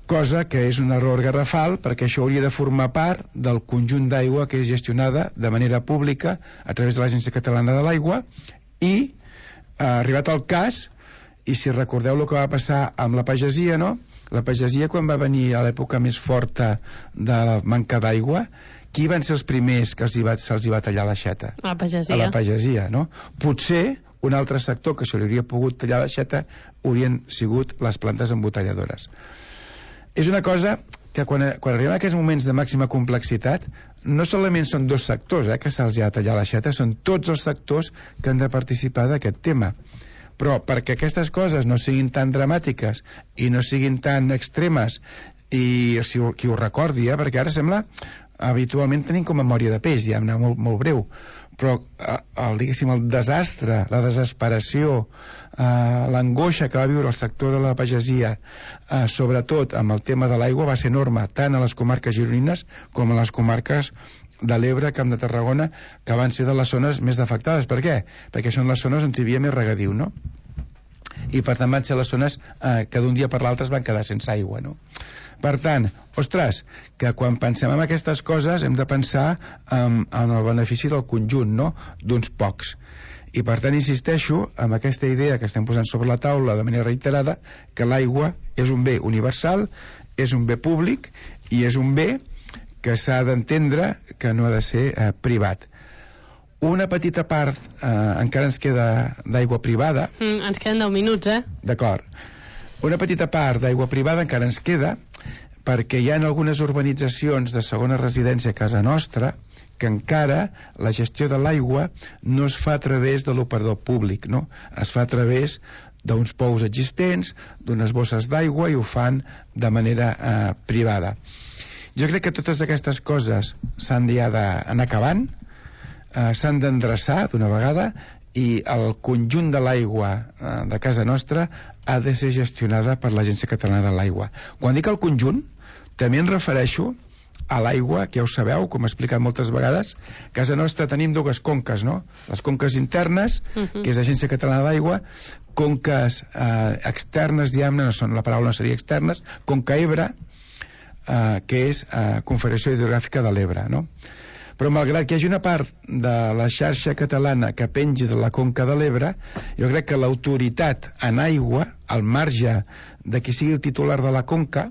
cosa que és un error garrafal, perquè això hauria de formar part del conjunt d'aigua que és gestionada de manera pública a través de l'Agència Catalana de l'Aigua, i ha arribat el cas, i si recordeu el que va passar amb la pagesia, no? La pagesia, quan va venir a l'època més forta de la manca d'aigua, qui van ser els primers que se'ls va, se'ls va tallar l'aixeta? La pagesia. A la pagesia, no? Potser un altre sector que se li hauria pogut tallar l'aixeta haurien sigut les plantes embotelladores. És una cosa que quan, quan arribem a aquests moments de màxima complexitat, no solament són dos sectors eh, que se'ls ha de tallar l'aixeta, són tots els sectors que han de participar d'aquest tema. Però perquè aquestes coses no siguin tan dramàtiques i no siguin tan extremes, i si qui ho recordi, eh, perquè ara sembla, habitualment tenim com memòria de peix, ja molt, molt breu, però el, diguéssim, el desastre, la desesperació, eh, l'angoixa que va viure el sector de la pagesia, eh, sobretot amb el tema de l'aigua, va ser enorme, tant a les comarques gironines com a les comarques de l'Ebre, Camp de Tarragona, que van ser de les zones més afectades. Per què? Perquè són les zones on hi havia més regadiu, no? I per tant van ser les zones eh, que d'un dia per l'altre es van quedar sense aigua, no? Per tant, ostres, que quan pensem en aquestes coses hem de pensar en, en el benefici del conjunt, no?, d'uns pocs. I per tant insisteixo en aquesta idea que estem posant sobre la taula de manera reiterada, que l'aigua és un bé universal, és un bé públic i és un bé que s'ha d'entendre que no ha de ser eh, privat. Una petita part eh, encara ens queda d'aigua privada. Mm, ens queden deu minuts, eh? D'acord. Una petita part d'aigua privada encara ens queda, perquè hi ha algunes urbanitzacions de segona residència a casa nostra que encara la gestió de l'aigua no es fa a través de l'operador públic, no? Es fa a través d'uns pous existents, d'unes bosses d'aigua, i ho fan de manera eh, privada. Jo crec que totes aquestes coses s'han d'anar acabant, eh, s'han d'endreçar d'una vegada, i el conjunt de l'aigua eh, de casa nostra ha de ser gestionada per l'Agència Catalana de l'Aigua. Quan dic el conjunt, també em refereixo a l'aigua, que ja ho sabeu, com he explicat moltes vegades. A casa nostra tenim dues conques, no? Les conques internes, uh-huh. que és l'Agència Catalana de l'Aigua, conques eh, externes, diguem-ne, no són, la paraula no seria externes, conca Ebre, eh, que és eh, Confederació Hidrogràfica de l'Ebre, no? Però malgrat que hi hagi una part de la xarxa catalana que pengi de la conca de l'Ebre, jo crec que l'autoritat en aigua, al marge de qui sigui el titular de la conca,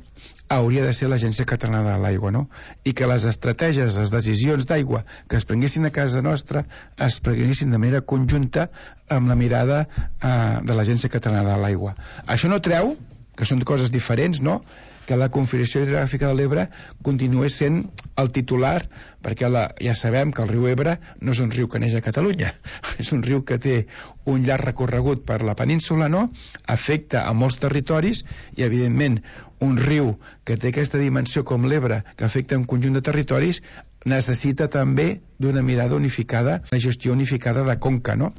hauria de ser l'Agència Catalana de l'Aigua, no? I que les estratègies, les decisions d'aigua que es prenguessin a casa nostra es prenguessin de manera conjunta amb la mirada eh, de l'Agència Catalana de l'Aigua. Això no treu, que són coses diferents, no?, que la Confederació Hidrogràfica de l'Ebre continués sent el titular, perquè la, ja sabem que el riu Ebre no és un riu que neix a Catalunya, és un riu que té un llarg recorregut per la península, no?, afecta a molts territoris, i evidentment un riu que té aquesta dimensió com l'Ebre, que afecta un conjunt de territoris, necessita també d'una mirada unificada, una gestió unificada de conca, no?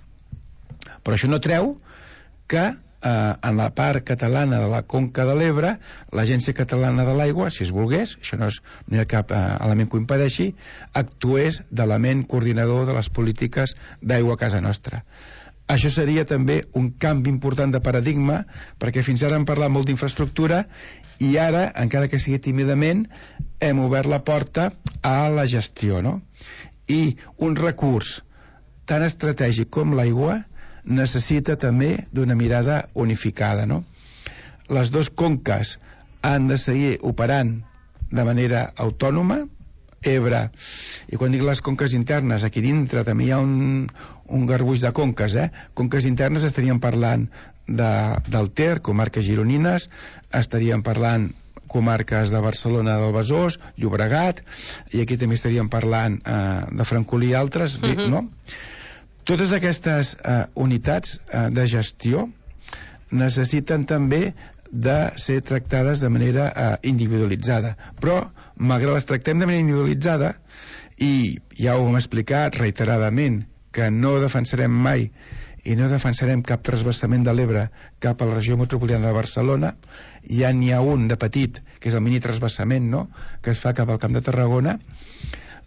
Però això no treu que eh, en la part catalana de la Conca de l'Ebre, l'Agència Catalana de l'Aigua, si es volgués, això no, és, no hi ha cap eh, element que ho impedeixi, actués d'element coordinador de les polítiques d'aigua a casa nostra. Això seria també un canvi important de paradigma, perquè fins ara hem parlat molt d'infraestructura i ara, encara que sigui tímidament, hem obert la porta a la gestió, no? I un recurs tan estratègic com l'aigua necessita també d'una mirada unificada, no? Les dues conques han de seguir operant de manera autònoma. Ebre, i quan dic les conques internes, aquí dintre també hi ha un, un garbuix de conques, eh? Conques internes estaríem parlant de, del Ter, comarques gironines, estaríem parlant comarques de Barcelona, del Besòs, Llobregat, i aquí també estaríem parlant eh, de Francolí i altres, uh-huh. no? Totes aquestes eh, unitats eh, de gestió necessiten també de ser tractades de manera eh, individualitzada, però malgrat les tractem de manera individualitzada, i ja ho hem explicat reiteradament, que no defensarem mai i no defensarem cap trasbassament de l'Ebre cap a la regió metropolitana de Barcelona, ja n'hi ha un de petit, que és el mini trasbassament, no?, que es fa cap al Camp de Tarragona.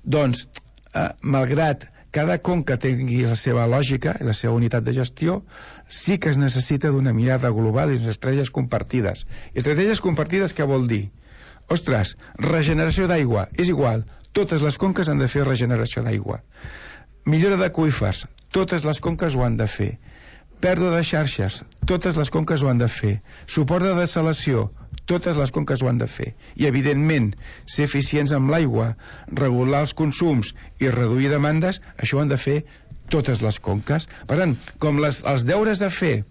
Doncs, eh, malgrat cada conca tingui la seva lògica i la seva unitat de gestió, sí que es necessita d'una mirada global i unes estratègies compartides. I estratègies compartides què vol dir? Ostres, regeneració d'aigua, és igual, totes les conques han de fer regeneració d'aigua. Millora d'aqüífers, totes les conques ho han de fer. Pèrdua de xarxes, totes les conques ho han de fer. Suport de dessalació, totes les conques ho han de fer. I, evidentment, ser eficients amb l'aigua, regular els consums i reduir demandes, això ho han de fer totes les conques. Per tant, com les, els deures a fer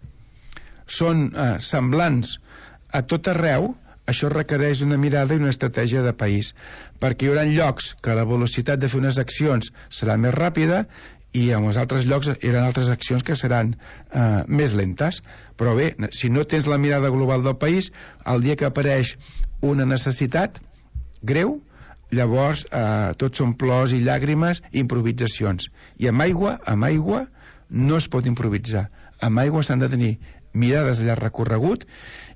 són eh, semblants a tot arreu, això requereix una mirada i una estratègia de país, perquè hi haurà llocs que la velocitat de fer unes accions serà més ràpida i en els altres llocs hi haurà altres accions que seran eh, més lentes. Però bé, si no tens la mirada global del país, el dia que apareix una necessitat greu, llavors eh, tot són plors i llàgrimes i improvisacions. I amb aigua, amb aigua no es pot improvisar. Amb aigua s'han de tenir mirades a llarg recorregut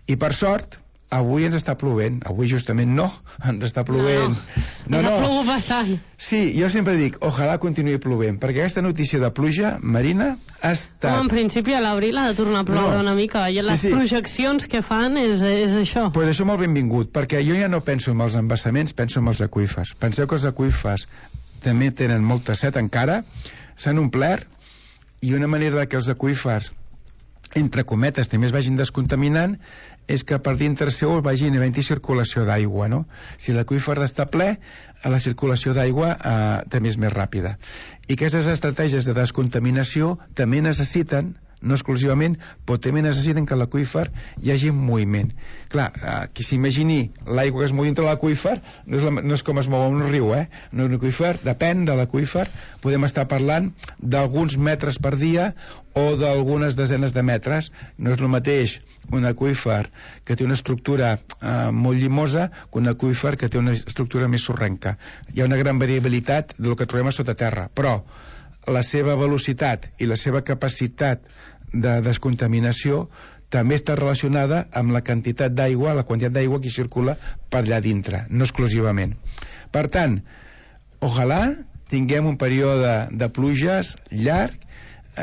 i, per sort, avui ens està plovent. Avui justament no, ens està plovent. No, no, ens ha plogut bastant. Sí, jo sempre dic, ojalà continuï plovent, perquè aquesta notícia de pluja marina ha estat... Com en principi a l'abril ha de tornar a ploure no. una mica, i les sí, sí. projeccions que fan és, és això. Pues això molt benvingut, perquè jo ja no penso en els embassaments, penso en els aqüífers. Penseu que els aqüífers també tenen molta set encara, s'han omplert, i una manera que els aqüífers, entre cometes, també es vagin descontaminant, és que per dintre seu vagin havent-hi circulació d'aigua, no? Si l'aqüífer està ple, la circulació d'aigua eh, també és més ràpida. I aquestes estratègies de descontaminació també necessiten, no exclusivament, però també necessiten que l'aqüífer hi hagi moviment. Clar, eh, qui s'imagini l'aigua que es mou dintre l'aqüífer no, és la, no és com es mou un riu, eh? No, un aqüífer, depèn de l'aqüífer, podem estar parlant d'alguns metres per dia o d'algunes desenes de metres. No és el mateix un aqüífer que té una estructura eh, molt llimosa que un aqüífer que té una estructura més sorrenca. Hi ha una gran variabilitat del que trobem a sota terra, però la seva velocitat i la seva capacitat de descontaminació també està relacionada amb la quantitat d'aigua, la quantitat d'aigua que circula per allà dintre, no exclusivament. Per tant, ojalà tinguem un període de pluges llarg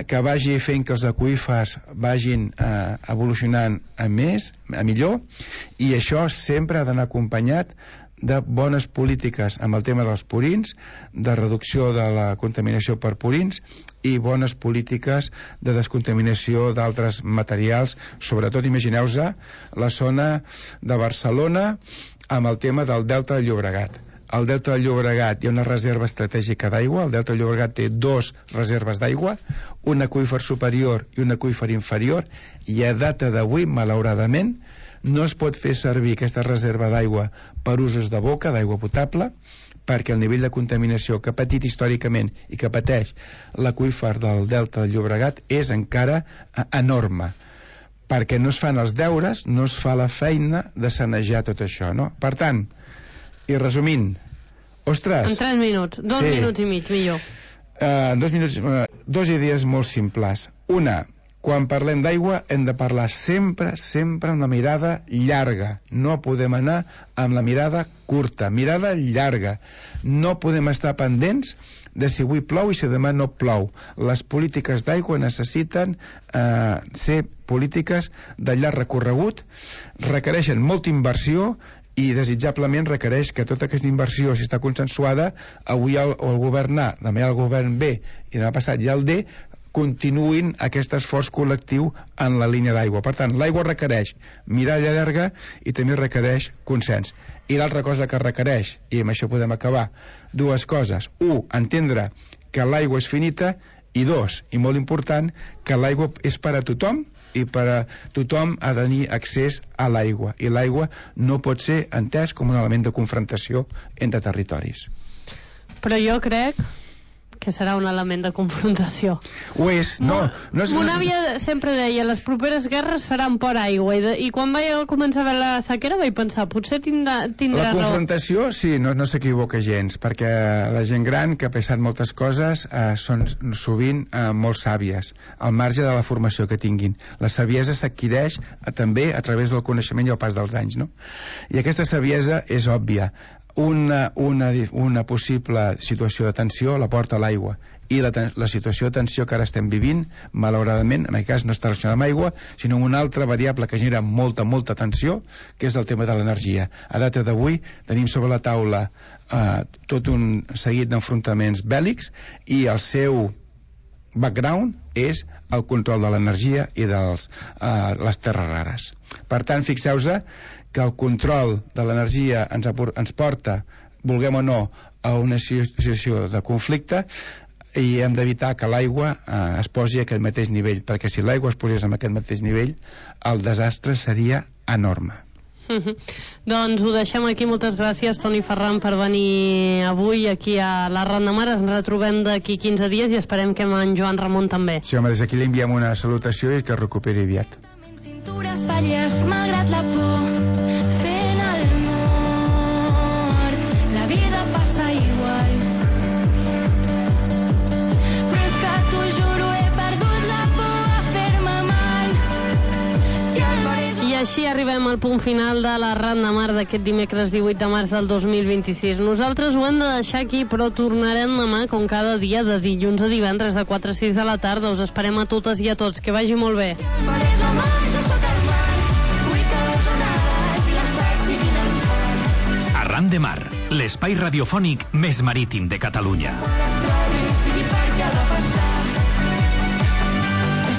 que vagi fent que els aqüífers vagin eh, evolucionant a més, a millor, i això sempre ha d'anar acompanyat de bones polítiques amb el tema dels purins, de reducció de la contaminació per purins i bones polítiques de descontaminació d'altres materials, sobretot imagineu-vos la zona de Barcelona amb el tema del Delta del Llobregat. Al Delta del Llobregat hi ha una reserva estratègica d'aigua, el Delta del Llobregat té dos reserves d'aigua, un aqüífer superior i un aqüífer inferior, i a data d'avui, malauradament, no es pot fer servir aquesta reserva d'aigua per usos de boca, d'aigua potable, perquè el nivell de contaminació que ha patit històricament i que pateix l'aqüífer del Delta del Llobregat és encara enorme, perquè no es fan els deures, no es fa la feina de sanejar tot això, no? Per tant, i resumint, ostres... En tres minuts, dos sí. minuts i mig, millor. Uh, dos minuts, uh, dos idees molt simples. Una, quan parlem d'aigua hem de parlar sempre, sempre amb la mirada llarga. No podem anar amb la mirada curta, mirada llarga. No podem estar pendents de si avui plou i si demà no plou. Les polítiques d'aigua necessiten eh, ser polítiques de llarg recorregut, requereixen molta inversió i desitjablement requereix que tota aquesta inversió, si està consensuada, avui el, el govern A, demà el govern B i demà passat ja el D, continuïn aquest esforç col·lectiu en la línia d'aigua. Per tant, l'aigua requereix mirada llarga i també requereix consens. I l'altra cosa que requereix, i amb això podem acabar, dues coses. Un, entendre que l'aigua és finita, i dos, i molt important, que l'aigua és per a tothom i per a tothom ha de tenir accés a l'aigua. I l'aigua no pot ser entès com un element de confrontació entre territoris. Però jo crec que serà un element de confrontació. Ho és, no. no és... Mon àvia sempre deia, les properes guerres seran per aigua, i, de, i quan vaig començar a veure la sequera vaig pensar, potser tindrà, tindrà raó. La confrontació, raó. Sí, no, no s'equivoca gens, perquè la gent gran que ha pensat moltes coses eh, són sovint eh, molt sàvies, al marge de la formació que tinguin. La saviesa s'adquireix eh, també a través del coneixement i el pas dels anys, no? I aquesta saviesa és òbvia. Una, una, una possible situació de tensió la porta l'aigua, i la, la situació de tensió que ara estem vivint, malauradament, en aquest cas no està relacionada amb aigua, sinó amb una altra variable que genera molta, molta tensió, que és el tema de l'energia. A data d'avui tenim sobre la taula eh, tot un seguit d'enfrontaments bèl·lics, i el seu background és el control de l'energia i de eh, les terres rares. Per tant, fixeu-vos que el control de l'energia ens, ens porta, vulguem o no, a una situació de conflicte, i hem d'evitar que l'aigua eh, es posi a aquest mateix nivell, perquè si l'aigua es posés a aquest mateix nivell, el desastre seria enorme. Mm-hmm. Doncs ho deixem aquí. Moltes gràcies, Toni Ferran, per venir avui aquí a la Ronda Mar. Ens retrobem d'aquí quinze dies i esperem que amb en Joan Ramon també. Sí, home, des d'aquí li enviem una salutació i que es recuperi aviat. Cintures falles, malgrat la por, fent el mort. La vida passa igual, però és que t'ho juro, he perdut la por a fer-me mal. Si el mar és... I així arribem al punt final de la Ronda Mar d'aquest dimecres divuit de març del dos mil vint-i-sis. Nosaltres ho hem de deixar aquí, però tornarem demà, com cada dia, de dilluns a divendres, de quatre a sis de la tarda. Us esperem a totes i a tots. Que vagi molt bé. Si el mar és la mar, jo sóc el mar. Vull que les onades i les arts siguin en fort. Arran de Mar, l'espai radiofònic més marítim de Catalunya. Quan et trobi, sigui per què ha de passar.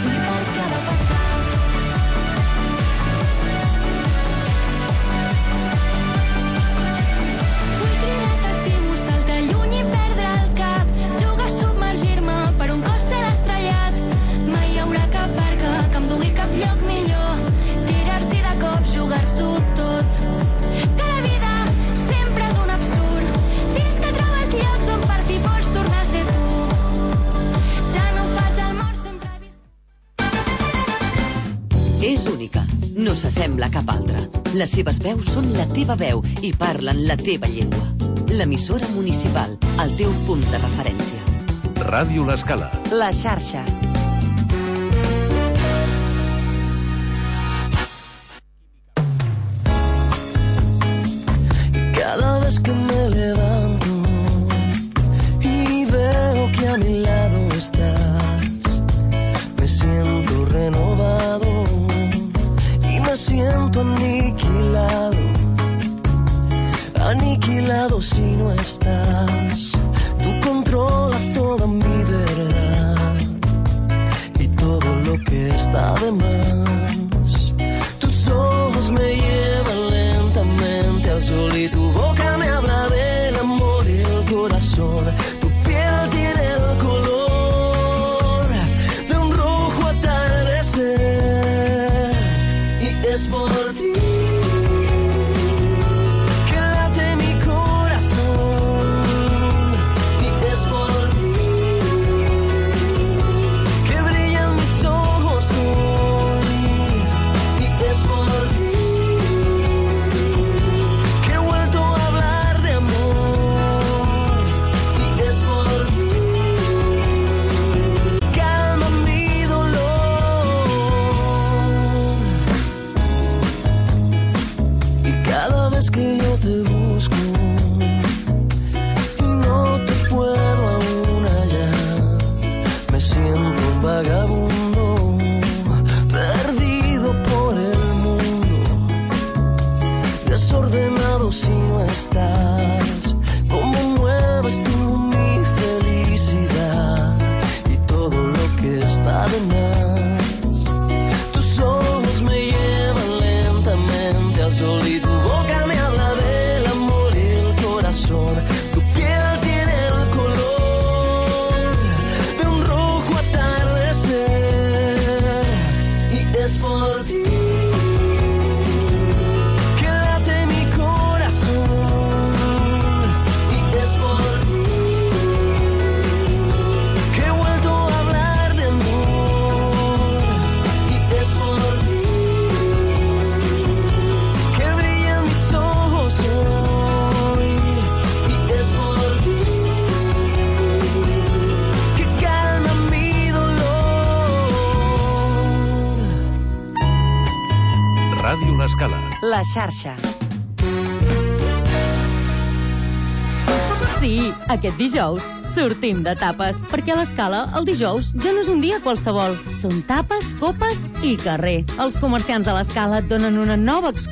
Sigui per què ha de passar. Vull cridar t'estimo, saltar lluny i perdre el cap. Jugar a submergir-me per un cos ser estrellat. Mai hi haurà cap barca que em dugui cap lloc millor. Tirar-s'hi de cop, jugar-s'ho tot. Que la vida sempre és un absurd, fins que trobes llocs on per fi pots tornar a ser tu. Ja no faig el mort, sempre he vist... És única, no s'assembla a cap altra. Les seves veus són la teva veu i parlen la teva llengua. L'emissora municipal, el teu punt de referència. Ràdio L'Escala. La xarxa. Cada vez que me levanto y veo que a mi lado estás, me siento renovado y me siento aniquilado, aniquilado si no estás. Tú controlas toda mi verdad y todo lo que está de más. Tus ojos me llevan lentamente al sol y tu boca me habla del amor y el corazón. Tu piel tiene el color de un rojo atardecer y es por ti que late mi corazón y es por ti que brillan mis ojos hoy y es por ti que he vuelto a hablar de amor y es por ti. Calma mi dolor ti que late mi corazón y es por ti que he vuelto a hablar de amor y es por ti que brillan mis ojos hoy y es por ti que calma mi dolor. Ràdio L'Escala. La xarxa. Sí, aquest dijous sortim de tapes, perquè a l'Escala el dijous ja no és un dia qualsevol. Són tapes, copes i carrer. Els comerciants de l'Escala et donen una nova excusa